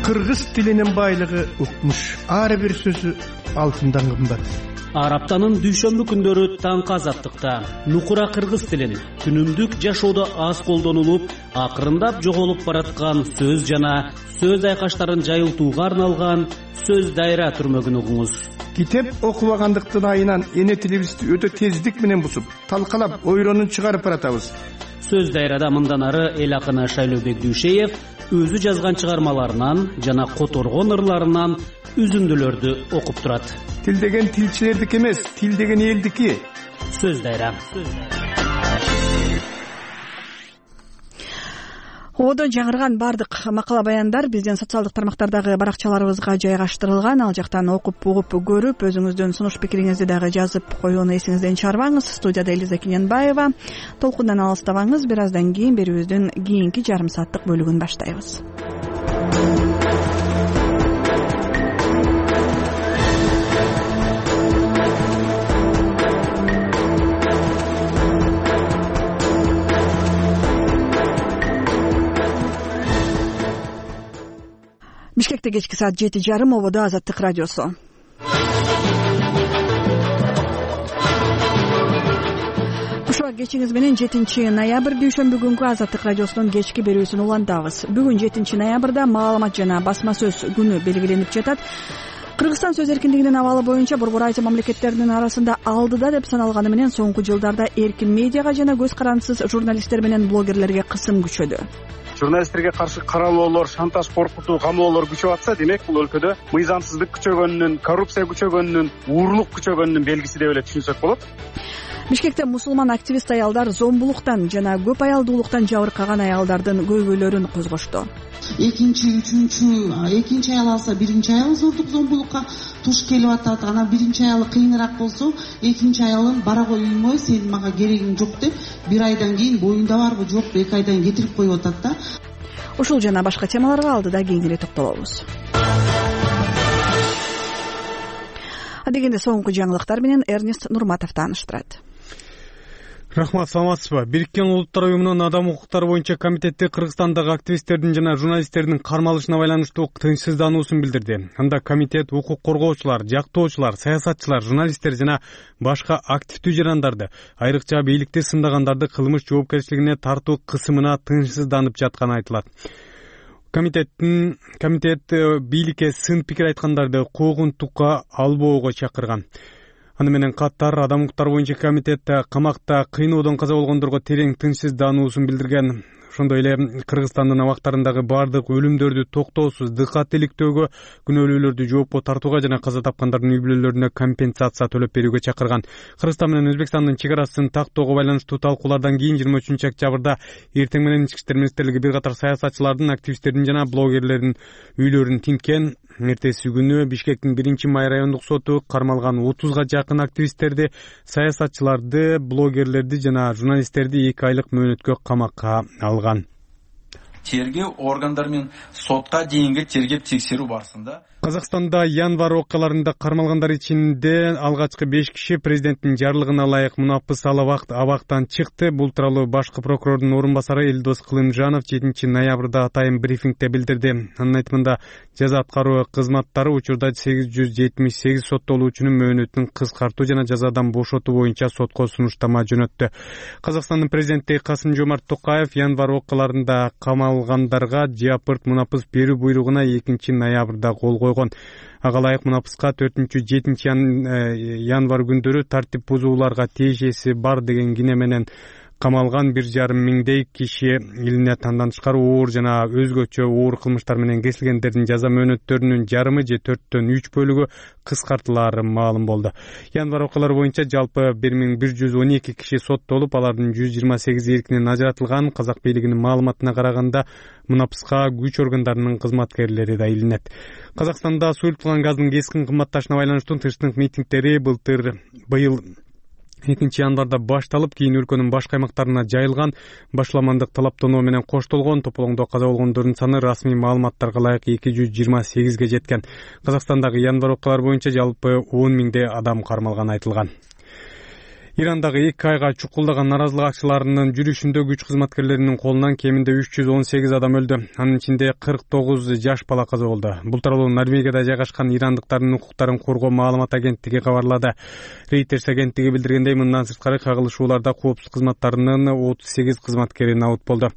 Кыргыз тилинин байлыгы укмуш. Ар бир сөзү алтындан кымбат. Ар аптанын дүйшөмбү күндөрү таңкы Азаттыкта нукура кыргыз тилин күнүмдүк жашоодо аз колдонулуп, акырындап жоголуп бараткан сөз жана сөз айкаштарын жайылтууга арналган сөз дайра түрмөгүн угуңуз. Китеп окубагандыктын айынан эне тилибизди өтө тездик менен бусуп, талкалап, ойронун чыгарып баратабыз. Сөз дайрада мындан ары эл акыны Шайлообек Дүйшеев өзү жазган чыгармаларынан жана которгон ырларынан үзүндүлөрдү окуп турат. Тил деген тилчилердики эмес, тил деген элдики. Сөз дайра. Одо жаңырган бардык макала баяндар биздин социалдык тармактардагы баракчаларыбызга жайгаштырылган. Ал жактан окуп, угуп, көрүп, өзүңүздүн сунуш пикириңизди дагы жазып коюуну эсиңизден чыгарбаңыз. Студияда Элиза Кененбаева. Толкундан алыстабаңыз. Бир аздан кийин берүүбүздүн кийинки жарым сааттык бөлүгүн баштайбыз. Бишкекте кечки саат 7:30, ободо Азаттык радиосу. Ушуга кечиңиз менен 7 ноябрь дүйшөмбү күнгү Азаттык радиосунун кечки берүүсүн улантабыз. Бүгүн 7 ноябрда маалымат жана басма сөз күнү белгиленип жатат. Кыргызстан сөз эркиндигинин абалы боюнча борбор айча мамлекеттердин арасында алдыда деп саналганы менен соңку жылдарда эркин медиага жана көз карандысыз журналисттер менен блогерлерге кысым күчөдү. Журналисттерге каршы каралоолор, шантаж, коркутуу, камоолор күчөп атса, демек бул өлкөдө мыйзамсыздык күчөгөнүнүн, коррупция күчөгөнүнүн, уурлук күчөгөнүнүн белгиси деп эле түшүнсөк болот. Бишкекте мусулман активист аялдар зомбулуктан жана көп аялдуулуктан жабыркаган аялдардын көйгөйлөрүн козгошту. Экинчи аял алса, биринчи аял зордук зомбулукка туш келип атат. Анан биринчи аялы кыйыныраак болсо, экинчи аялын бара коймой, сен мага керегиң жок деп, бир айдан кийин боюңда барбы жокпу, 2 айдан кийин кетирип коюп атат да. Ушул жана башка темаларга алдыда кийинирээк токтолобуз. Адегенде соңку жаңылыктар менен Эрнест Нурматов тааныштырат. Рахмат, саламатсызбы. Бириккен Улуттар уюмунун адам укуктары боюнча комитети Кыргызстандагы активисттердин жана журналисттердин кармалышына байланыштуу тынчсыздануусун билдирди. Анда комитет укук коргоочулар, жактоочулар, саясатчылар, журналисттер жана башка активдүү жарандарды, айрыкча бийликти сындагандарды кылмыш жоопкерчилигине тартуу кысымына тынчсызданып жатканы айтылат. Комитет бийликке сын пикир айткандарды куугунтукка албоого чакырган. Аны менен катар адам укуктары боюнча комитет камакта кыйноодон каза болгондорго терең тынчсыздануусун билдирген. Ошондой эле Кыргызстандын абактарындагы бардык өлүмдөрдү токтоосуз дыкат иликтөөгө, күнөөлүүлөрдү жоопко тартууга жана каза тапкандардын үй бүлөлөрүнө компенсация төлөп берүүгө чакырган. Кыргызстан менен Өзбекстандын чек арасын тактоого байланыштуу талкуулардан кийин 23 октябрда эртең менен Ички иштер министрлиги бир катар саясатчылардын, активисттердин жана блогерлердин үйлөрүн тинткен. Эртеси күнү Бишкектин 1-май райондук соту кармалган 30га жакын активисттерди, саясатчыларды, блогерлерди жана журналисттерди 2 айлык мөөнөткө камакка алган. Тергөө органдары менен сотко дейинги тергеп текшерүү барысында Казакстанда январь окуяларында кармалгандар ичинде алгачкы 5 киши президенттин жарлыгына ылайык мунапыс абактан чыкты. Бул тууралуу башкы прокурордун орун басары Элдос Кылымжанов 7 ноябрда атайын брифингде билдирди. Анын айтымында жаза аткаруу кызматтары учурда 878 соттолуучунун мөөнөтүн кыскартуу жана жазадан бошотуу боюнча сотко сунуштама жөнөттү. Казакстандын президенти Касым-Жомарт Токаев январь окуяларында камалгандарга жапырт мунапыс берүү буйругуна 2 ноябрда кол койгон. Ага ылайык мунапыска 4-7 январь күндөрү тартип бузууларга тиешеси бар деген кине менен камалган 1,5 миңдей киши илине тышкары оор жана өзгөчө оор кылмыштар менен кесилгендердин жаза мөөнөттөрүнүн жарымы же 4/3 бөлүгү кыскартылары маалым болду. Январь окуялары боюнча жалпы 1112 киши соттолуп, алардын 128 эркинен ажыратылган. Казак бийлигинин маалыматына караганда мунапыска күч органдарынын кызматкерлери да илинет. Казакстанда суюлтулган газдын кескин кымбатташына байланыштуу тынчтык митингдери быйыл 2 январда башталып, кийин өлкөнүн башка аймактарына жайылган. Башламандык талаптонуу менен коштолгон. Тополоңдо каза болгондордун саны расмий маалыматтарга ылайык 228ге жеткен. Казакстандагы январь окуялары боюнча жалпы 10 миңдей адам кармалганы айтылган. Ирандагы 2 айга чукулдаган наразылык акчыларынын жүрүшүндө күч кызматкерлеринин колунан кеминде 318 адам өлдү. Анын ичинде 49 жаш бала каза болду. Бул тууралуу Норвегияда жайгашкан ирандыктардын укуктарын коргоо маалымат агенттиги кабарлады. Reuters агенттиги билдиргендей, мындан сырткары кагылышууларда коопсуз кызматтарынын 38 кызматкери набыт болду.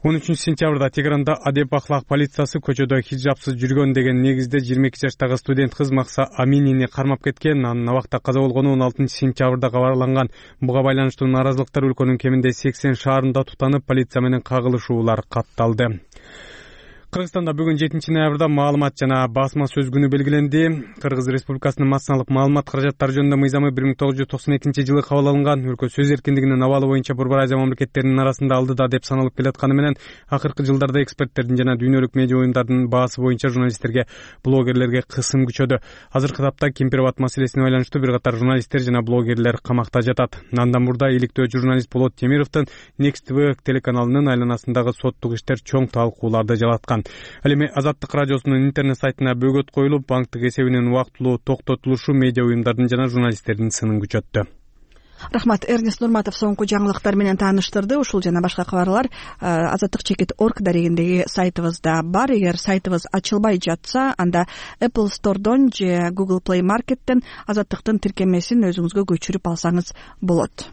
13 сентябрда Тегеранда адеп ахлак полициясы көчөдө хиджапсыз жүргөн деген негизде 22 жаштагы студент кыз Макса Аминини кармап кеткен. Анын абакта каза болгону 16 сентябрда кабарланган. Буга байланыштуу наразылыктар өлкөнүн кеминде 80 шаарында тутанып, полиция менен кагылышуулар катталды. Кыргызстанда бүгүн 7-ноябрда маалымат жана басма сөз күнү белгиленди. Кыргыз Республикасынын массалык маалымат каражаттары жөнүндө мыйзамы 1992 кабыл алынган. Өлкө сөз эркиндигинин абалы боюнча Борбор Азия мамлекеттеринин арасында алдыда деп саналып келатканы менен акыркы жылдарда эксперттердин жана дүйнөлүк медиа уюмдардын баасы боюнча журналисттерге, блогерлерге кысым күчөдү. Азыркы тапта Кемпир-Абад маселесине байланыштуу бир катар журналисттер жана блогерлер камакта жатат. Андан мурда иликтөө журналист Болот Темировдун Next TV телеканалынын айланасындагы соттук иштер чоң талкууларды жараткан. Ал эми Азаттык радиосунун интернет сайтына бөгөт коюлуп, банктык эсебинин убактылуу токтотулушу медиа уюмдардын жана журналисттердин сынын күчөттү. Рахмат. Эрнест Нурматов соңку жаңылыктар менен тааныштырды. Ушул жана башка кабарлар azattik.org дарегиндеги сайтыбызда бар. Эгер сайтыбыз ачылбай жатса, анда Apple Store'дон же Google Play Market'тен Азаттыктын тиркемесин өзүңүзгө көчүрүп алсаңыз болот.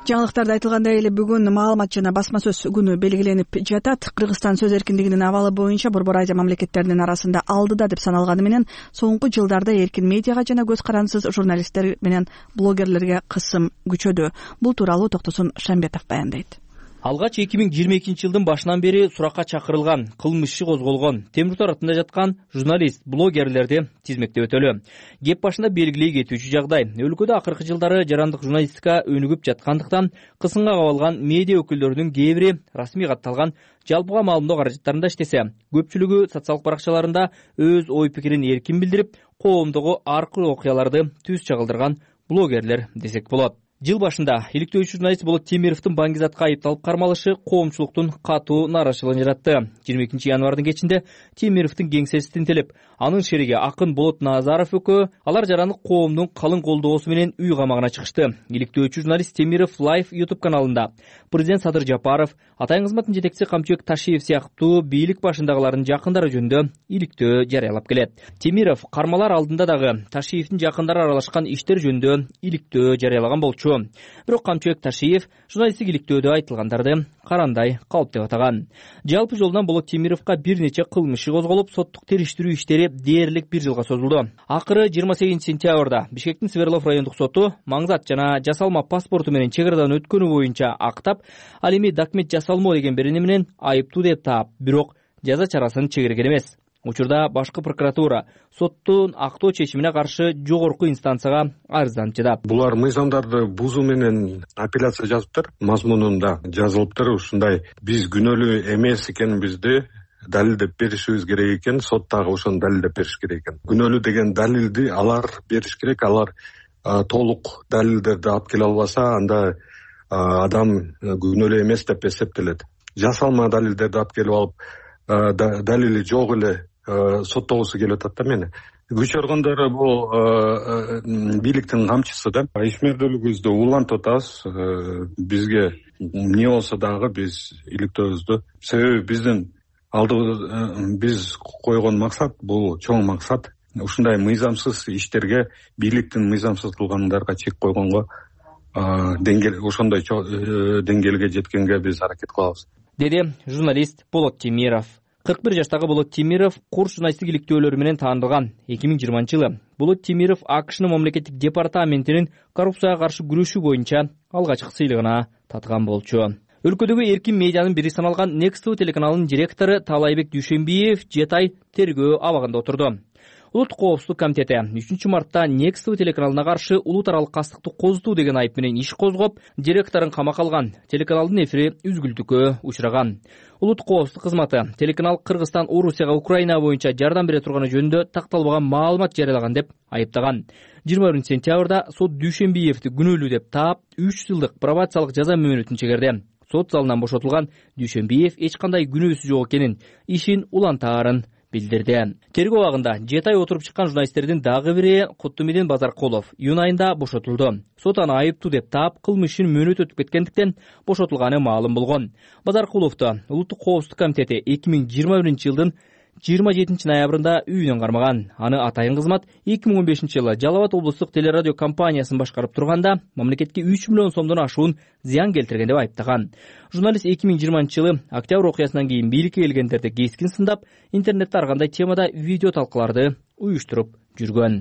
Жаңылыктарда айтылгандай эле бүгүн маалымат жана басма сөз күнү белгиленип жатат. Кыргызстан сөз эркиндигинин абалы боюнча Борбор Азия мамлекеттеринин арасында алдыда деп саналганы менен соңку жылдарда эркин медиага жана көз карансыз журналисттер менен блогерлерге кысым күчөдү. Бул тууралуу Токтосун Шамбетов баяндайт. Алгач 2022 жылдын башынан бери суракка чакырылган, кылмыш иши козголгон, темир тор артында жаткан журналист, блогерлерди тизмектеп өтөлү. Кеп башында белгилей кетүүчү жагдай. Өлкөдө акыркы жылдары жарандык журналистика өнүгүп жаткандыктан кысымга кабылган медиа өкүлдөрүнүн кээ бири расмий катталган жалпыга маалымдоо каражаттарында иштесе, көпчүлүгү социалдык баракчаларында өз ой пикирин эркин билдирип, коомдогу ар кыр окуяларды түз чагылдырган блогерлер десек болот. Жыл башында иликтөөчү журналист Болот Темировдун Баңгизатка айыпталып кармалышы коомчулуктун катуу нааразычылыгын жаратты. 22 январдын кечинде Темировдун кеңсеси тинтелип, анын шериги акын Болот Назаров экөө алар жарандык коомдун калың колдоосу менен үй камагына чыгышты. Иликтөөчү журналист Темиров Live YouTube каналында президент Садыр Жапаров, атайын кызматтын жетекчиси Камчыбек Ташиев сыяктуу бийлик башындагылардын жакындары жөнүндө иликтөө жарыялап келет. Темиров кармалар алдында дагы Ташиевдин жакындары аралашкан иштер жөнүндө иликтөө жарыялаган болчу. Бирок Камчыбек Ташиев журналисттик иликтөөдө айтылгандарды карандай калп деп атаган. Жалпы жолунан Болот Темировго бир нече кылмыш иши козголуп, соттук териштирүү иштери дээрлик 1 жылга созулду. Акыры 28 сентябрда Бишкектин Свердлов райондук соту маңзат жана жасалма паспорту менен чек арадан өткөнү боюнча актап, ал эми документ жасалмоо деген берени менен айыптуу деп таап, бирок жаза чарасын чегерген эмес. Учурда башкы прокуратура соттун актоо чечимине каршы жогорку инстанцияга арызданып жатат. Булар мыйзамдарды бузуу менен апелляция жазыптыр, мазмунунда жазылыптыр. Ушундай биз күнөөлүү эмес экенибизди далилдеп беришибиз керек экен, сот дагы ошону далилдеп бериш керек экен. Күнөөлүү деген далилди алар бериш керек. Алар толук далилдерди алып келе албаса, анда адам күнөөлүү эмес деп эсептелет. Жасалма далилдерди алып келип алып, далили жок эле соттогусу келип атат да мени. Күч органдары бул бийликтин камчысы да. Ишмердүүлүгүбүздү улантып атабыз. Бизге эмне болсо дагы биз иликтөөбүздү. Себеби биздин биз койгон максат бул чоң максат. Ушундай мыйзамсыз иштерге, бийликтин мыйзамсыз кылгандарга чек койгонго, ошондой деңгээлге жеткенге биз аракет кылабыз, деди журналист Болот Темиров. 41 жаштагы Болот Темиров курс журналисттик иликтөөлөрү менен таанылган. 2020 жылы Болот Темиров АКШнын мамлекеттик департаментинин коррупцияга каршы күрөшүү боюнча алгачкы сыйлыгына татыган болчу. Өлкөдөгү эркин медианын бири саналган Next TV телеканалынын директору Таалайбек Дүйшөнбиев 7 ай тергөө абагында отурду. Улуттук коопсуздук комитети 3 мартта Next TV телеканалына каршы улут аралык кастыкты козутуу деген айып менен иш козгоп, директорун камакка алган. Телеканалдын эфири үзгүлтүккө учураган. Улуттук коопсуздук кызматы телеканал Кыргызстан Орусияга Украина боюнча жардам бере турганы жөнүндө такталбаган маалымат жарыялаган деп айыптаган. 21 сентябрда сот Дүйшөнбиевди күнөөлүү деп таап, 3 жылдык пробациялык жаза мөөнөтүн чегерди. Сот залынан бошотулган Дүйшөнбиев эч кандай күнөөсү жок экенин, ишин улантаарын билдирди. Тергөө абагында 7 ай отуруп чыккан журналисттердин дагы бири Куттумидин Базаркулов июнь айында бошотулду. Сот аны айыптуу деп таап, кылмыш ишин мөөнөт өтүп кеткендиктен бошотулганы маалым болгон. Базаркуловду Улуттук коопсуздук комитети 2021 жылдын 27 ноябрында үйүнөн кармаган. Аны атайын кызмат 2015 жылы Жалал Абад облустук телерадио компаниясын башкарып турганда мамлекетке 3 миллион сомдон ашуун зыян келтирген деп айыптаган. Журналист 2020 жылы октябрь окуясынан кийин бийликке келгендерди кескин сындап, интернетте ар кандай темада видео талкууларды уюштуруп жүргөн.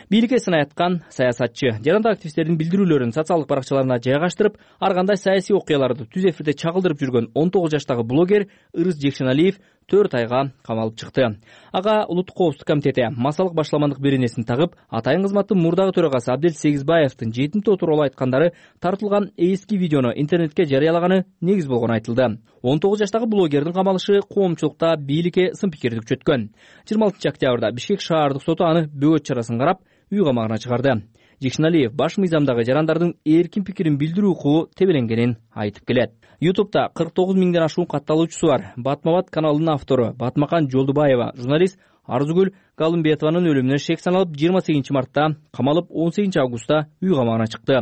Бийликке сын айткан саясатчы жарандык активисттердин билдирүүлөрүн социалдык баракчаларына жайгаштырып, ар кандай саясий окуяларды түз эфирде чагылдырып жүргөн 19 жаштагы блогер Ырыс Жекшеналиев 4 айга камалып чыкты. Ага Улуттук коопсуздук комитети массалык башламандык беренесин тагып, атайын кызматтын мурдагы төрагасы Абдел Сегизбаевдин 7 тууралуу айткандары тартылган эски видеону интернетке жарыялаганы негиз болгону айтылды. 19 жаштагы блогердин камалышы коомчулукта бийликке сын пикирди күчөткөн. 26 октябрда Бишкек шаардык соту аны бөгөт чарасын карап, үй камагына чыгарды. Жекшеналиев баш мыйзамдагы жарандардын эркин пикирин билдирүү укугу тебеленгенин айтып келет. YouTube'да 49 миңден ашуун катталуучусу бар. Батмабат каналынын автору Батмакан Жолдубаева журналист Арзугүл Галымбетованын өлүмүнө шек саналып 28 мартта камалып 18 августта үй камагына чыкты.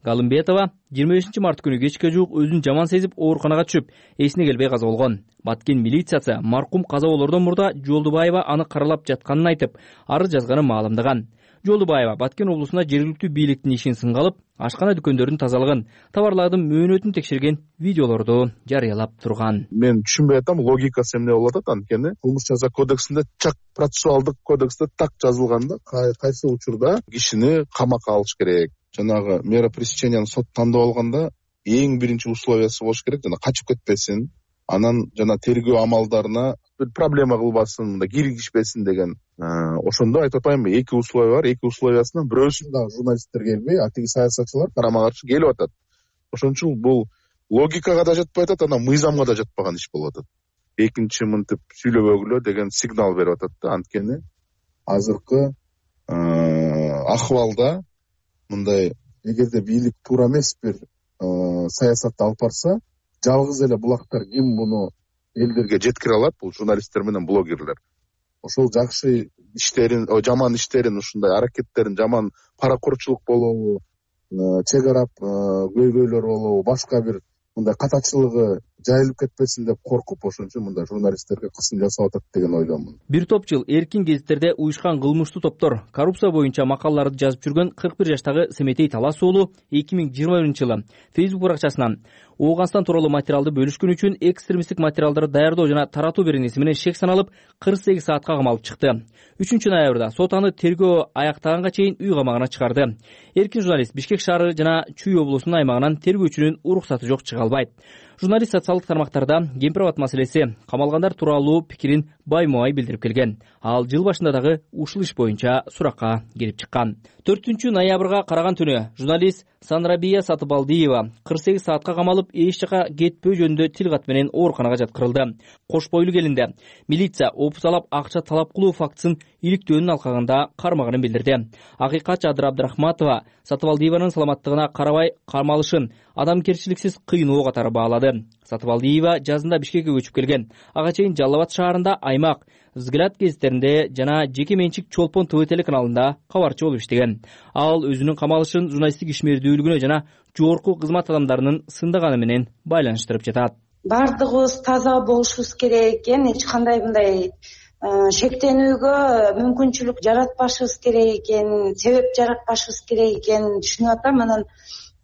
Галымбетова 25 март күнү кечке жуук өзүн жаман сезип ооруканага түшүп, эсине келбей каза болгон. Баткен милициясы маркум каза болордон мурда Жолдубаева аны каралап жатканын айтып, арыз жазганын маалымдаган. Жолдубаева Баткен облусуна жергиликтүү бийликтин ишин сынга алып, ашкана дүкөндөрдүн тазалыгын, товарлардын мөөнөтүн текшерген видеолорду жарыялап турган. Мен түшүнбөй атам, логикасы эмне болуп атат анткени кылмыш жаза кодексинде чак процессуалдык кодексте так жазылганда кайсы учурда кишини камакка алыш керек. Жанагы мера пресечениянын сот тандап алганда эң биринчи условиясы болуш керек, жана качып кетпесин, анан жана тергөө амалдарына бир проблема кылбасын, мында киргишпесин деген. Ошондо айтып атпаймынбы, эки условия бар, эки условиясынан бирөөсүн дагы журналисттер келбей, атиги саясатчылар карама каршы келип атат. Ошон үчүн бул логикага да жатпай атат, анан мыйзамга да жатпаган иш болуп атат. Экинчи мынтип сүйлөбөгүлө деген сигнал берип атат да, анткени азыркы акыбалда мындай эгерде бийлик туура эмес бир саясатты алып барса, жалгыз эле булактар ким буну элдерге жеткире алат? Бул журналисттер менен блогерлер. Ошол жакшы иштерин, жаман иштерин, ушундай аракеттерин, жаман паракорчулук болобу, чек арап көйгөйлөр болобу, башка бир мындай катачылыгы жайылып кетпесин деп коркуп, ошон үчүн мындай журналисттерге кысым жасап атат деген ойдомун. Бир топ жыл эркин гезиттерде уюшкан кылмыштуу топтор коррупция боюнча макалаларды жазып жүргөн 41 жаштагы Семетей Талас уулу 2021-жылы Facebook баракчасынан Ооганстан тууралуу материалды бөлүшкөн үчүн экстремисттик материалдарды даярдоо жана таратуу беренеси менен шек саналып 48 саатка камалып чыкты. 3 ноябрда сот аны тергөө аяктаганга чейин үй камагына чыгарды. Эркин журналист Бишкек шаары жана Чүй облусунун аймагынан тергөөчүнүн уруксаты жок чыга албайт. Журналист социалдык тармактарда кемпир-абад маселеси, камалгандар тууралуу пикирин байма-бай билдирип келген. Ал жыл башында дагы ушул иш боюнча суракка кирип чыккан. 4 ноябрга караган түнү журналист Санрабия Сатыбалдиева 48 саатка камалып, эч жака кетпөө жөнүндө тил кат менен ооруканага жаткырылды. Кош бойлуу келинде милиция опусалап акча талап кылуу фактысын иликтөөнүн алкагында кармагынын билдирди. Акыйкат Жадыр Абдрахматова Сатыбалдиеванын саламаттыгына карабай камалышын адамгерчиликсиз кыйноо катары баалады. Сатыбалдиева жазында Бишкекке көчүп келген. Ага чейин Жалал Абад шаарында Аймак, Взгляд гезиттеринде жана жеке менчик Чолпон ТВ телеканалында кабарчы болуп иштеген. Ал өзүнүн камалышын журналисттик ишмердүүлүгүнө жана жогорку кызмат адамдарынын сындаганы менен байланыштырып жатат. Бардыгыбыз таза болушубуз керек экен, эч кандай мындай шектенүүгө мүмкүнчүлүк жаратпашыбыз керек экен, себеп жаратпашыбыз керек экен түшүнүп атам. Анан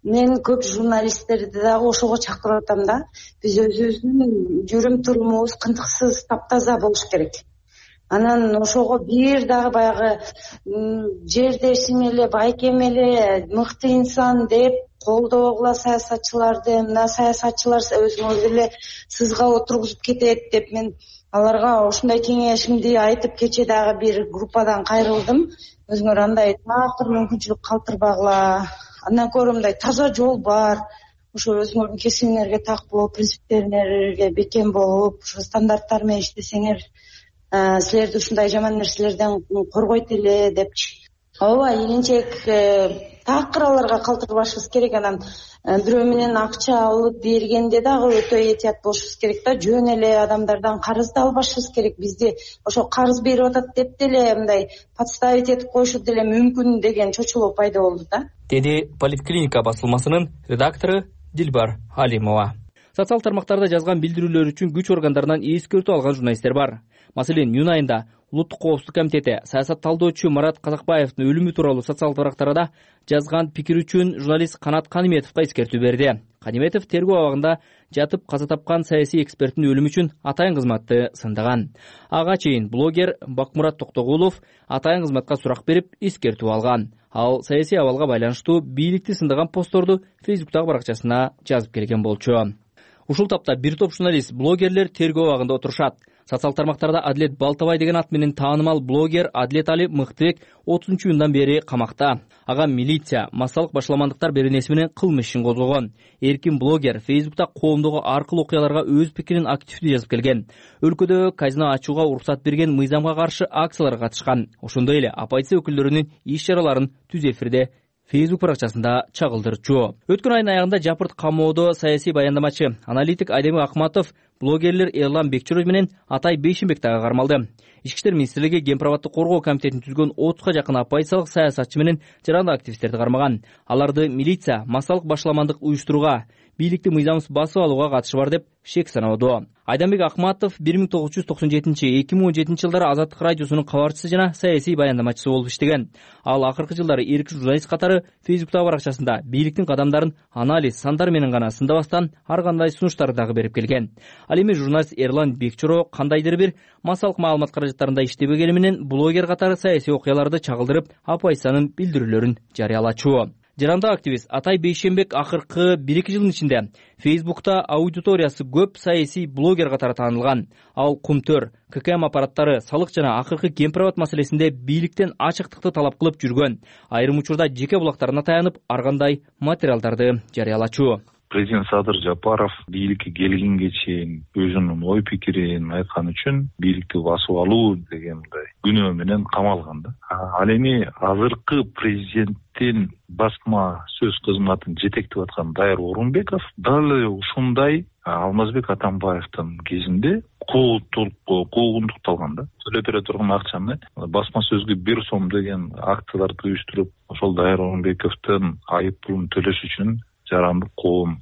мен көп журналисттерди дагы ошого чакырып атам да. Биз өзүбүздүн жүрүм турумубуз кынтыксыз, таптаза болуш керек. Анан ошого бир дагы баягы жердешим эле, байкем эле, мыкты инсан деп колдогула саясатчыларды, мына саясатчылар өзүңөр эле сызга отургузуп кетет деп мен аларга ошондой кеңешимди айтып, кече дагы бир группадан кайрылдым. Өзүңөр андай такыр мүмкүнчүлүк калтырбагыла. Андан көрө мындай таза жол бар. Ошо өзүңөрдүн кесибиңерге так болуп, принциптериңерге бекем болуп, ошо стандарттар менен иштесеңер, силерди ушундай жаман нерселерден коргойт эле депчи. Ооба, ийгинчек такыр аларга калтырбашыбыз керек. Анан бирөө менен акча алып бергенде дагы өтө этият болушубуз керек да. Жөн эле адамдардан карыз да албашыбыз керек. Бизди ошо карыз берип атат деп деле мындай подставить этип коюшу деле мүмкүн деген чочулоо пайда болду да, деди Политклиника басылмасынын редактору Дилбар Алимова. Социал тармактарда жазган билдирүүлөр үчүн күч органдарынан эскертүү алган журналисттер бар. Маселен, июнь айында Улуттук коопсуздук комитети саясат талдоочу Марат Казакбаевдин өлүмү тууралуу социал тармактарда жазган пикир үчүн журналист Канат Каниметовго эскертүү берди. Каниметов тергөө абагында жатып каза тапкан саясий эксперттин өлүмү үчүн атайын кызматты сындаган. Ага чейин блогер Бакмурат Токтогулов атайын кызматка сурак берип, эскертүү алган. Ал саясий абалга байланыштуу бийликти сындаган постторду Фейсбуктагы баракчасына жазып келген болчу. Ушул тапта бир топ журналист, блогерлер тергөө абагында отурушат. Социал тармактарда Адилет Балтабай деген ат менен таанымал блогер Адилет Али Мыктыбек 30-июндан бери камакта. Ага милиция массалык башаламандыктар беренеси менен кылмыш ишин козгогон. Эркин блогер Фейсбукта коомдогу ар кыл окуяларга өз пикирин активдүү жазып келген. Өлкөдө казино ачууга уруксат берген мыйзамга каршы акцияларга катышкан. Ошондой эле оппозиция өкүлдөрүнүн иш-чараларын түз эфирде Facebook баракчасында чагылдырчу. Өткөн айдын аягында Жапырт камоодо саясий баяндамачы, аналитик Айдемир Акматов, блогерлер Эрлан Бекчуров менен Атай Бейшенбек дагы кармалды. Ички иштер министрлиги Кемпир-абадты коргоо комитетин түзгөн 30га жакын оппозициялык саясатчы менен жарандык активисттерди кармаган. Аларды милиция, массалык башаламандык уюштурууга, бийликти мыйзамсыз басып алууга катышы бар деп шек саноодо. Айданбек Акматов 1997-2017 жылдары Азаттык радиосунун кабарчысы жана саясий баяндамачысы болуп иштеген. Ал акыркы жылдары эркин журналист катары Фейсбуктагы баракчасында бийликтин кадамдарын анализ, сандар менен гана сындабастан ар кандай сунуштарды дагы берип келген. Ал эми журналист Эрлан Бекчуро кандайдыр бир массалык маалымат каражаттарында иштебегени менен блогер катары саясий окуяларды чагылдырып, оппозициянын билдирүүлөрүн жарыялачу. Жарандык активист Атай Бейшенбек акыркы 1-2 жылдын ичинде Фейсбукта аудиториясы көп саясий блогер катары таанылган. Ал Кумтөр, ККМ аппараттары, салык жана акыркы Кемпир-абад маселесинде бийликтен ачыктыкты талап кылып жүргөн. Айрым учурда жеке булактарына таянып, ар кандай материалдарды жарыялачу. Президент Садыр Жапаров бийликке келгенге чейин өзүнүн ой пикирин айткан үчүн бийликти басып алуу деген мындай күнөө менен камалган да. Ал эми азыркы президенттин басма сөз кызматын жетектеп аткан Дайыр Орунбеков дал ушундай Алмазбек Атамбаевдин кезинде куугунтукталган да. Төлөп бере турган акчаны басма сөзгө 1 сом деген акцияларды уюштуруп, ошол Дайыр Орунбековдун айып пулун төлөш үчүн жарандык коом,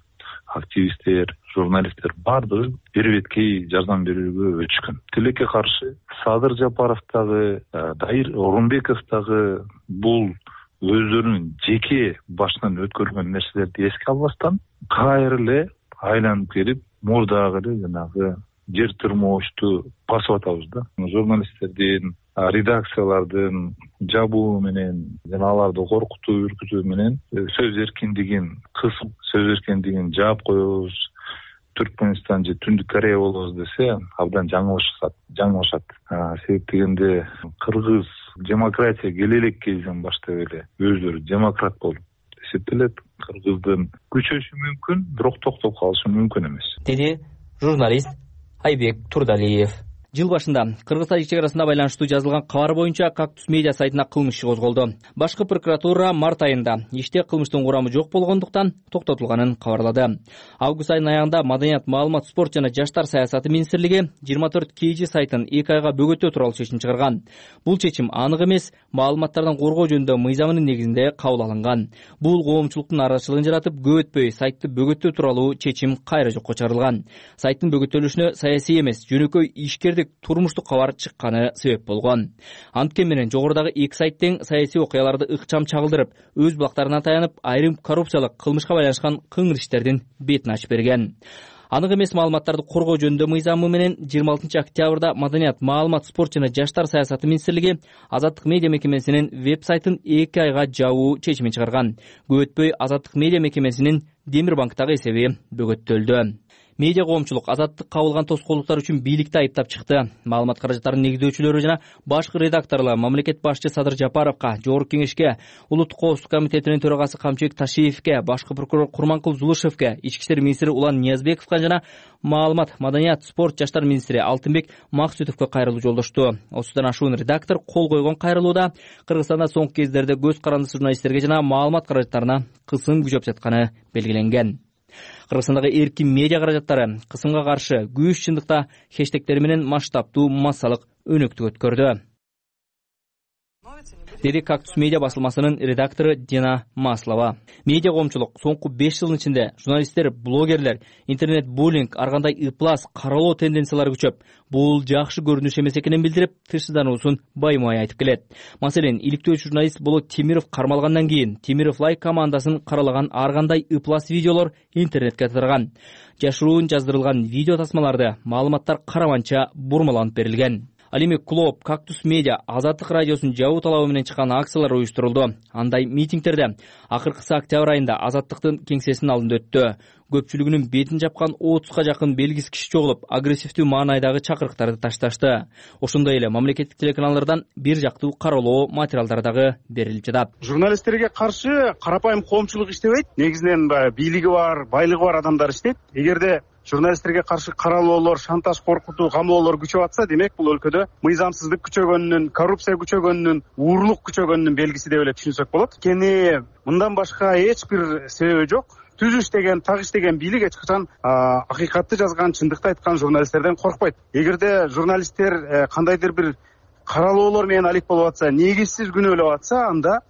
активисттер, журналисттер баардыгы бир беткей жардам берүүгө өчкөн. Тилекке каршы Садыр Жапаров дагы, Дайыр Орунбеков дагы бул өздөрүнүн жеке башынан өткөргөн нерселерди эске албастан кайра эле айланып келип, мурдагы эле жанагы жер тырмоочту басып атабыз да. Журналисттердин, редакциялардын жабуу менен жана аларды коркутуу, үркүтүү менен сөз эркиндигин кысып, сөз эркиндигин жаап коебуз, Түркмөнстан же Түндүк Корея болобуз десе, абдан жаңылышат. Себеп дегенде кыргыз демократия келе элек кезден баштап эле өздөрү демократ болуп эсептелет. Кыргыздын күчөшү мүмкүн, бирок токтоп калышы мүмкүн эмес, деди журналист Айбек Турдалиев. Жыл башында Кыргыз-Тажик чек арасында байланыштуу жазылган кабар боюнча Кактус медиа сайтына кылмыш иши козголду. Башкы прокуратура март айында иште кылмыштын курамы жок болгондуктан токтотулганын кабарлады. Август айынын аягында Маданият, маалымат, спорт жана жаштар саясаты министрлиги 24 KG сайтын 2 айга бөгөтүү тууралуу чечим чыгарган. Бул чечим анык эмес, маалыматтардан коргоо жөнүндө мыйзамынын негизинде кабыл алынган. Бул коомчулуктун нараазычылыгын жаратып, көп өтпөй сайтты бөгөтүү тууралуу чечим кайра жокко чыгарылган. Сайттын бөгөтөлүшүнө саясий эмес, жөнөкөй ишкердик турмуштук кабар чыкканы себеп болгон. Анткени менен жогорудагы 2 сайт тең саясий окуяларды ыкчам чагылдырып, өз булактарына таянып, айрым коррупциялык кылмышка байланышкан кыңыр иштердин бетин ачып берген. Анык эмес маалыматтарды коргоо жөнүндө мыйзамы менен 26 октябрда Маданият, маалымат, спорт жана жаштар саясаты министрлиги Азаттык медиа мекемесинин веб-сайтын 2 айга жабуу чечимин чыгарган. Көп өтпөй Азаттык медиа мекемесинин Демир банктагы эсеби бөгөттөлдү. Медиа коомчулук азаттык кабылган тоскоолдуктар үчүн бийликти айыптап чыкты. Маалымат каражаттарынын негиздөөчүлөрү жана башкы редакторлор мамлекет башчы Садыр Жапаровго, Жогорку Кеңешке, Улуттук коопсуздук комитетинин төрагасы Камчыбек Ташиевке, башкы прокурор Курманкул Зулушевке, Ички иштер министри Улан Ниязбековго жана маалымат, маданият, спорт, жаштар министри Алтынбек Максутовго кайрылуу жолдошту. Осудан ашуун редактор кол койгон кайрылууда Кыргызстанда соңку кездерде көз карандысы журналисттерге жана маалымат каражаттарына кысым күчөп жатканы белгиленген. Кыргызстандагы эркин медиа каражаттары кысымга каршы күч чындыкта хэштегтери менен масштабтуу массалык өнөктүк өткөрдү. деди Кактус медиа басылмасынын редактору Дина Маслова. Медиа коомчулук соңку 5 жылдын ичинде журналисттер, блогерлер, интернет буллинг, ар кандай ыплас, каралоо тенденциялары күчөп, бул жакшы көрүнүш эмес экенин билдирип, тынчсыздануусун баймай айтып келет. Маселен, иликтөө журналист Болот Темиров кармалгандан кийин Темиров Лайк командасын каралаган ар кандай ыплас видеолор интернетке тараган. Жашыруун жаздырылган видео тасмаларды маалыматтар караманча бурмаланып берилген. Ал эми Клоп, Кактус медиа, Азаттык радиосунун жабуу талабы менен чыккан акциялар уюштурулду. Андай митингдерде акыркысы октябрь айында Азаттыктын кеңсесинин алдында өттү. Көпчүлүгүнүн бетин жапкан 30га жакын белгисиз киши чогулуп, агрессивдүү маанайдагы чакырыктарды ташташты. Ошондой эле мамлекеттик телеканалдардан бир жактуу каралоо материалдары дагы берилип жатат. Журналисттерге каршы карапайым коомчулук иштебейт. Негизинен бийлиги бар, байлыгы бар адамдар иштейт. Эгерде журналисттерге каршы каралоолор, шантаж, коркутуу, камоолор күчөп атса, демек бул өлкөдө мыйзамсыздык күчөгөнүнүн, коррупция күчөгөнүнүн, уурлук күчөгөнүнүн белгиси деп эле түшүнсөк болот. Кени мындан башка эч бир себеби жок. Түз иштеген, так иштеген бийлик эч качан акыйкатты жазган, чындыкты айткан журналисттерден коркпойт. Эгерде журналисттер кандайдыр бир каралоолор менен алек болуп атса, негизсиз күнөөлөп атса, анда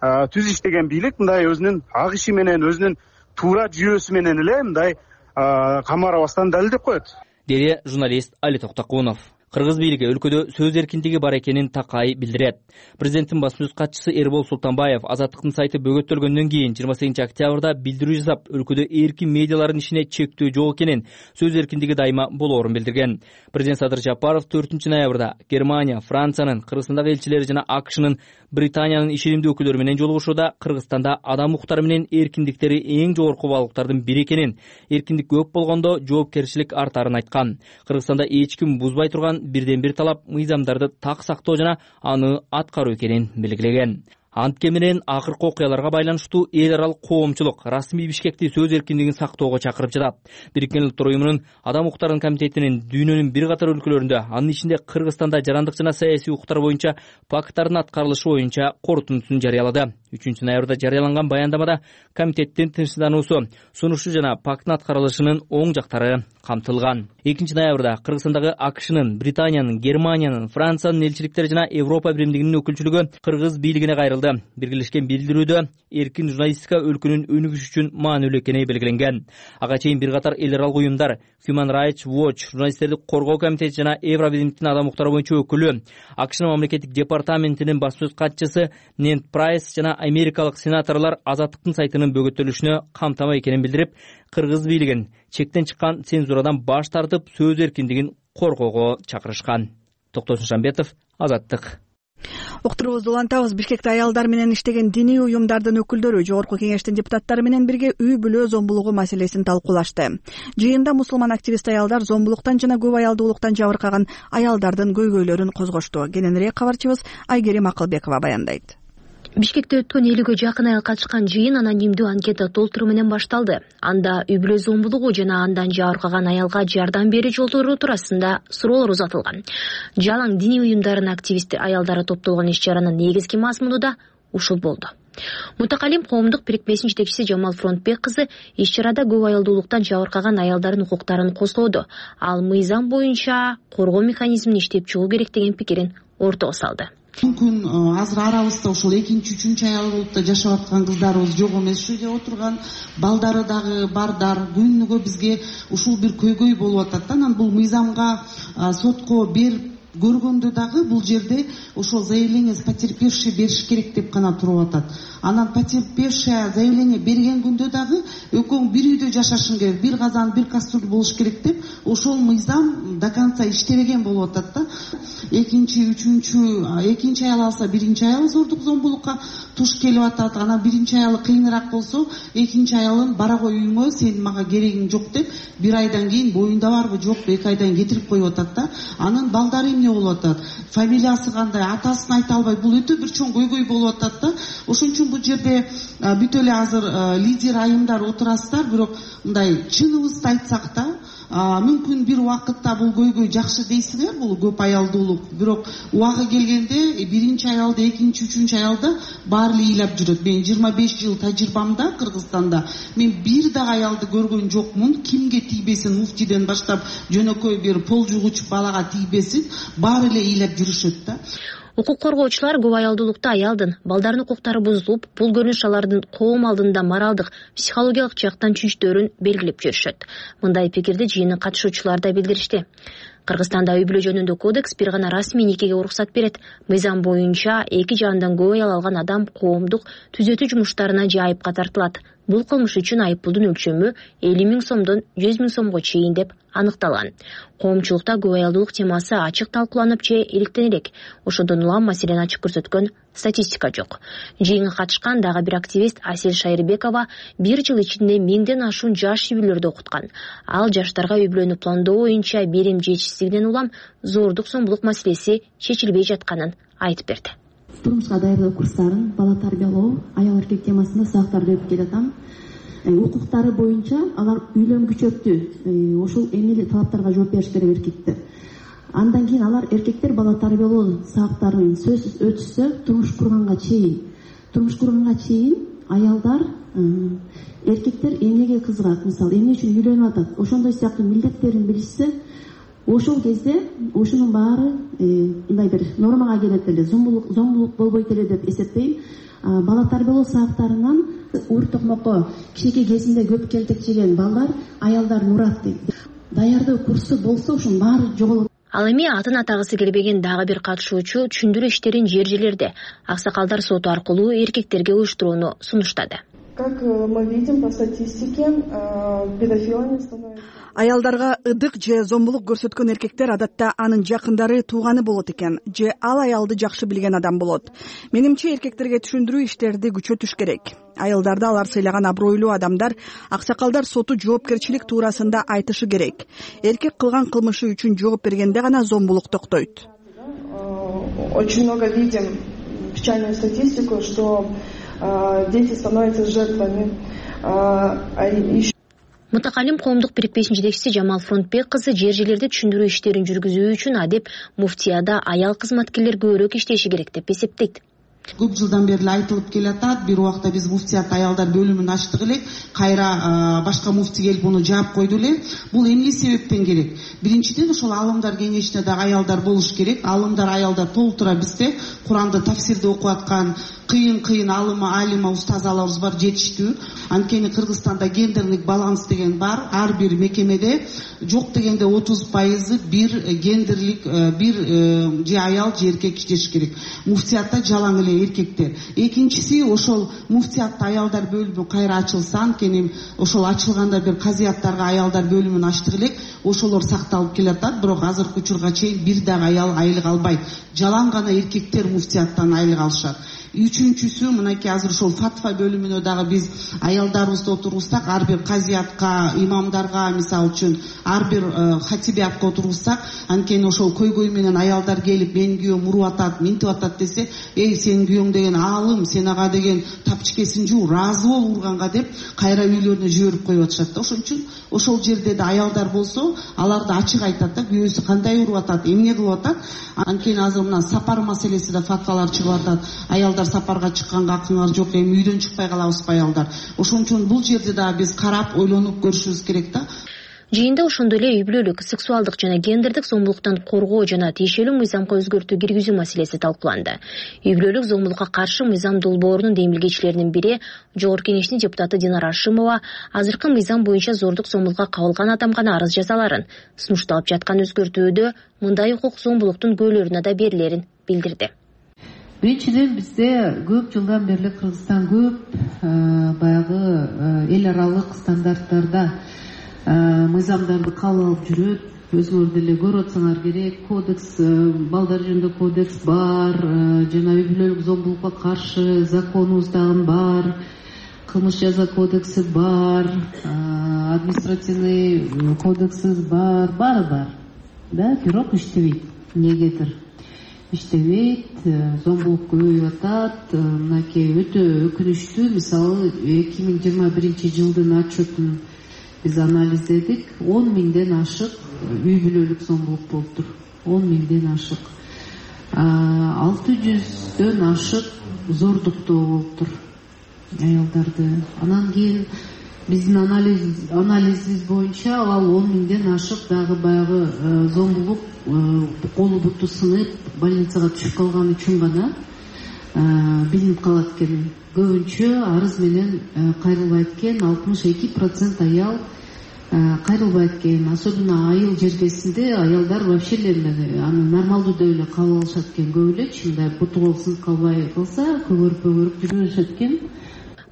түз иштеген бийлик мындай өзүнүн ак иши менен, өзүнүн туура жүйөсү менен эле мындай камарабастан далилдеп коет, деди журналист Али Токтокунов. Кыргыз бийлиги өлкөдө сөз эркиндиги бар экенин такай билдирет. Президенттин басма сөз катчысы Эрбол Султанбаев Азаттыктын сайты бөгөттөлгөндөн кийин 28 октябрда билдирүү жасап, өлкөдө эркин медиалардын ишине чектөө жок экенин, сөз эркиндиги дайыма болоорун билдирген. Президент Садыр Жапаров 4 ноябрда Германия, Франциянын, Кыргызстандагы элчилери жана АКШнын, Британиянын ишенимдүү өкүлдөрү менен жолугушууда Кыргызстанда адам укуктары менен эркиндиктери эң жогорку баалыктардын бири экенин, эркиндик көп болгондо жоопкерчилик артарын айткан. Кыргызстанда эч ким бузбай турган бирден бир талап мыйзамдарды так сактоо жана аны аткаруу экенин белгилеген. Антке менен акыркы окуяларга байланыштуу эл аралык коомчулук расмий Бишкекти сөз эркиндигин сактоого чакырып жатат. Бириккен Улуттар уюмунун Адам укуктарынын комитетинин дүйнөнүн бир катар өлкөлөрүндө, анын ичинде Кыргызстанда жарандык жана саясий укуктар боюнча пакттардын аткарылышы боюнча корутундусун жарыялады. 3 ноябрда жарыяланган баяндамада комитеттин тынчсыздануусу, сунушу жана пакттын аткарылышынын оң жактары камтылган. 2 ноябрда Кыргызстандагы АКШнын, Британиянын, Германиянын, Франциянын элчиликтери жана Европа биримдигинин өкүлчүлүгү Кыргыз бийлигине кайрылды. Биргелешкен билдирүүдө эркин журналистика өлкөнүн өнүгүшү үчүн маанилүү экени белгиленген. Ага чейин бир катар эл аралык уюмдар, Human Rights Watch, журналисттерди коргоо комитети жана Евробиримдиктин адам укуктары боюнча өкүлү, АКШнын мамлекеттик департаментинин басма сөз катчысы Нэнт Прайс жана америкалык сенаторлор Азаттыктын сайтынын бөгөттөлүшүнө камтамай экенин билдирип, Кыргыз бийлигин чектен чыккан цензурадан баш тартып, сөз эркиндигин коргоого чакырышкан. Токтосун Шамбетов, Азаттык. Уктуруубузду улантабыз. Бишкекте аялдар менен иштеген диний уюмдардын өкүлдөрү Жогорку кеңештин депутаттары менен бирге үй бүлө зомбулугу маселесин талкуулашты. Жыйында мусулман активист аялдар зомбулуктан жана көп аялдуулуктан жабыркаган аялдардын көйгөйлөрүн козгошту. Кененирээк кабарчыбыз Айгерим Акылбекова баяндайт. Бишкекте өткөн 50-ге жакын айыл катышкан жыйын анонимдүү анкета толтуруу менен башталды. Анда үй бүлө зомбулугу жана андан жабыркаган аялга жардам берүү жолдору туурасында суроолор узатылган. Жалаң диний уюмдардын активисттер аялдары топтолгон иш-чаранын негизги мазмуну да ушул болду. Мутакалим коомдук бирикмесинин жетекчиси Жамал Фронтбек кызы иш-чарада көп аялдуулуктан жабыркаган аялдардын укуктарын козгоду. Ал мыйзам боюнча коргоо механизмин иштеп чыгуу керек деген пикирин ортого салды. Мүмкүн азыр арабызда ушул 2-3 аялдуулукта жашап аткан кыздарыбыз жок эмес ушул жерде отурган, балдары дагы бардар. Күнүгө бизге ушул бир көйгөй болуп атат. Анан бул мыйзамга сотко берип көргөндө дагы бул жерде ошол заявление потерпевший бериш керек деп гана туруп атат. Анан потерпевшая заявление берген күндө дагы экөөң бир үйдө жашашың керек, бир казан, бир кастрюль болуш керек деп ошол мыйзам до конца иштебеген болуп атат да. Экинчи аял алса, биринчи аял зордук зомбулукка туш келип атат. Анан биринчи аялы кыйыныраак болсо, экинчи аялын бара кой үйүңө, сен мага керегиң жок деп бир айдан кийин боюнда барбы жокпу 2 айдан кетирип коюп атат да. Анын балдары эмне болуп атат? Фамилиясы кандай? Атасын айта албай, бул өтө бир чоң көйгөй болуп атат да. Ошон үчүн бул жерде бүт эле азыр лидер айымдар отурасыздар, бирок мындай чыныбызды айтсак да, мүмкүн бир убакытта бул көйгөй жакшы дейсиңер, бул көп аялдуулук, бирок убагы келгенде биринчи аялды, экинчи, үчүнчү аялды баары эле ыйлап жүрөт. Мен 25 жыл тажрыйбамда Кыргызстанда мен бир дагы аялды көргөн жокмун. Кимге тийбесин, муфтийден баштап жөнөкөй бир пол жугуч балага тийбесин, баары эле ыйлап жүрүшөт да. Укук коргоочулар көп аялдуулукта аялдын балдардын укуктары бузулуп, бул көрүнүш алардын коом алдында моралдык, психологиялык жактан чүнчтөөрүн белгилеп жүрүшөт. Мындай пикирди жыйындын катышуучулары да билдиришти. Кыргызстанда үй бүлө жөнүндө кодекс бир гана расмий никеге уруксат берет. Мыйзам боюнча эки жандан көп аял алган адам коомдук түзөтүү жумуштарына же айыпка тартылат. Бул кылмыш үчүн айыппулдун өлчөмү 50 000 сомдон 100 000 сомго чейин деп аныкталган. Коомчулукта көп аялдуулук темасы ачык талкууланып же иликтен элек. Ошондон улам маселени ачык көрсөткөн статистика жок. Жыйынга катышкан дагы бир активист Асель Шайырбекова 1 жыл ичинде 1000ден ашуун жаш үй бүлөлөрдү окуткан. Ал жаштарга үй бүлөнү пландоо боюнча берим жетишсиздигинен улам зордук зомбулук маселеси чечилбей жатканын айтып берди. Турмушка даярдоо курстарын, бала тарбиялоо, аял эркек темасында сабактарды өтүп келатам. Укуктары боюнча алар үйлөнгүчөлүктү, ошол эмне талаптарга жооп бериш керек эркектер. Андан кийин алар эркектер бала тарбиялоо сабактарын сөзсүз өтүшсө, турмуш курганга чейин аялдар, эркектер эмнеге кызыгат, мисалы эмне үчүн үйлөнүп атат, ошондой сыяктуу милдеттерин билишсе, ошол кезде ошонун баары мындай бир нормага келет эле, зомбулук болбойт эле деп эсептейм. Бала тарбиялоо сабактарынан ур токмокко кичинекей кезинде көп келтек жеген балдар аялдарын урат дейт. Даярдоо курсу болсо ошонун баары жоголот. Ал эми атын атагысы келбеген дагы бир катышуучу түшүндүрүү иштерин жер-жерлерде аксакалдар соту аркылуу эркектерге уюштурууну сунуштады. Как мы видим по статистике, педофилами становится... Аялдарга ыдык же зомбулук көрсөткөн эркектер адатта анын жакындары, тууганы болот экен, же ал аялды жакшы билген адам болот. Менимче эркектерге түшүндүрүү иштерди күчөтүш керек. Аялдарды алар сыйлаган абройлуу адамдар, аксакалдар соту жоопкерчилик туурасында айтышы керек. Эркек кылган кылмышы үчүн жооп бергенде гана зомбулук токтойт. Очень много видим печальную статистику, что дети становятся жертвами. Мутакалим коомдук бирикпесинин жетекчиси Жамал Фронтбек кызы жер-жерлерде түшүндүрүү иштерин жүргүзүү үчүн адеп муфтияда аял кызматкерлер көбүрөөк иштеши керек деп эсептейт. Көп жылдан бери айтылып келатат. Бир убакта биз муфтият аялдар бөлүмүн ачтык элек, кайра башка муфти келип муну жаап койду эле. Бул эмне себептен керек? Биринчиден ошол алымдар кеңешинде дагы аялдар болуш керек. Алымдар аялдар толтура бизде Куранды тафсирде окуп аткан кыйын алима устазаларыбыз бар, жетиштүү. Анткени Кыргызстанда гендерлик баланс деген бар. Ар бир мекемеде жок дегенде 30% бир гендерлик бир же аял же эркек иштеш керек. Муфтиятта жалаң эле эркектер. Экинчиси, ошол муфтиятта аялдар бөлүмү кайра ачылса, анткени ошол ачылганда бир казияттарга аялдар бөлүмүн ачтык элек, ошолор сакталып келатат, бирок азыркы учурга чейин бир дагы аял айлык албайт. Жалаң гана эркектер муфтияттан айлык алышат. Үчүнчүсү, мынакей азыр ошол фатва бөлүмүнө дагы биз аялдарыбызды отургузсак, ар бир казиятка, имамдарга, мисалы үчүн ар бир хатибиятка отургузсак, анткени ошол көйгөй менен аялдар келип, менин күйөөм уруп атат, минтип атат десе, сенин күйөөң деген аалым, сен ага деген тапчыкесин жуу, ыраазы бол урганга деп кайра үйлөрүнө жиберип коюп атышат да. Ошон үчүн ошол жерде да аялдар болсо, аларды ачык айтат да, күйөөсү кандай уруп атат, эмне кылып атат. Анткени азыр мына сапар маселеси да фатвалар чыгып атат. Аялдар сапарга чыкканга акыңар жок, эми үйдөн чыкпай калабызбы аялдар. Ошон үчүн бул жерде да биз карап, ойлонуп көрүшүбүз керек да. Жыйында ошондой эле үй бүлөлүк, сексуалдык жана гендердик зомбулуктан коргоо жана тиешелүү мыйзамга өзгөртүү киргизүү маселеси талкууланды. Үй бүлөлүк зомбулукка каршы мыйзам долбоорунун демилгечилеринин бири, Жогорку Кеңештин депутаты Динара Ашимова, азыркы мыйзам боюнча зордук зомбулукка кабылган адам гана арыз жаза аларын, сунушталып жаткан өзгөртүүдө мындай укук зомбулуктун көөлөрүнө да берилерин билдирди. Биринчиден бизде көп жылдан бери Кыргызстан көп баягы эл аралык стандарттарда мыйзамдарды кабыл алып жүрөт. Өзүңөр деле көрүп атсаңар керек, кодекс, балдар жөнүндө кодекс бар, жана үй бүлөлүк зомбулукка каршы законубуз дагы бар, кылмыш жаза кодекси бар, административный кодексибиз бар, баары бар. Да, бирок иштебейт. Эмнегедир иштебейт, зомбулук көбөйүп атат. Мынакей өтө өкүнүчтүү. Мисалы 2021 жылдын отчетун биз анализдедик. 10 000ден ашык үй бүлөлүк зомбулук болуптур. 10 000ден ашык. 600дөн ашык зордуктоо болуптур аялдарды. Анан кийин биздин анализибиз боюнча ал 10 миңден ашык дагы баягы зомбулук колу буту сынып больницага түшүп калган үчүн гана билинип калат экен. Көбүнчө арыз менен кайрылбайт экен, 62% аял кайрылбайт экен. Особенно айыл жергесинде аялдар вообще аны нормалдуу деп эле кабыл алышат экен. Көп эле мындай буту кол сынып калбай калса көгөрүп жүрө беришет экен.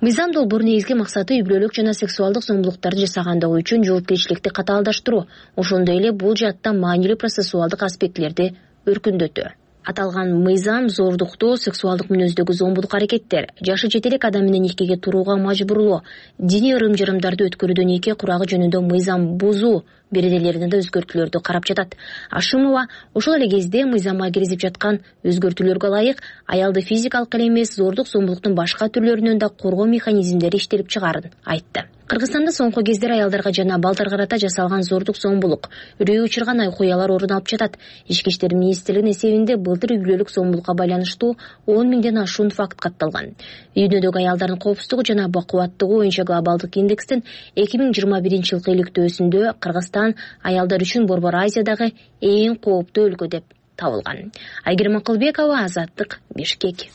Мыйзам долбоору негизги максаты үй бүлөлүк жана сексуалдык зомбулуктарды жасагандыгы үчүн жоопкерчиликти катаалдаштыруу, ошондой эле бул жаатта маанилүү процессуалдык аспектилерди өркүндөтүү. Аталган мыйзам зордуктоо, сексуалдык мүнөздөгү зомбулук аракеттер, жашы жете элек адам менен никеге турууга мажбурлоо, диний ырым-жырымдарды өткөрүүдө нике курагы жөнүндө мыйзам бузуу беренелерине да өзгөртүүлөрдү карап жатат. Ашымова ошол эле кезде мыйзамга киргизип жаткан өзгөртүүлөргө ылайык аялды физикалык эле эмес, зордук зомбулуктун башка түрлөрүнөн да коргоо механизмдери иштелип чыгаарын айтты. Кыргызстанда соңку кездер аялдарга жана балдарга карата жасалган зордук зомбулук, үрөй учурган окуялар орун алып жатат. Ички иштер министрлигинин эсебинде былтыр үй бүлөлүк зомбулукка байланыштуу 10 миңден ашуун факт катталган. Үйдөгү аялдардын коопсуздугу жана бакубаттыгы боюнча глобалдык индекстин 2021 жылкы иликтөөсүндө Кыргызстан аялдар үчүн Борбор Азиядагы эң кооптуу өлкө деп табылган. Айгерим Акылбекова, Азаттык, Бишкек.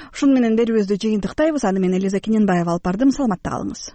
Ушуну менен берүүбүздү жыйынтыктайбыз. Аны мен Элиза Кененбаева алып бардым. Саламатта калыңыз.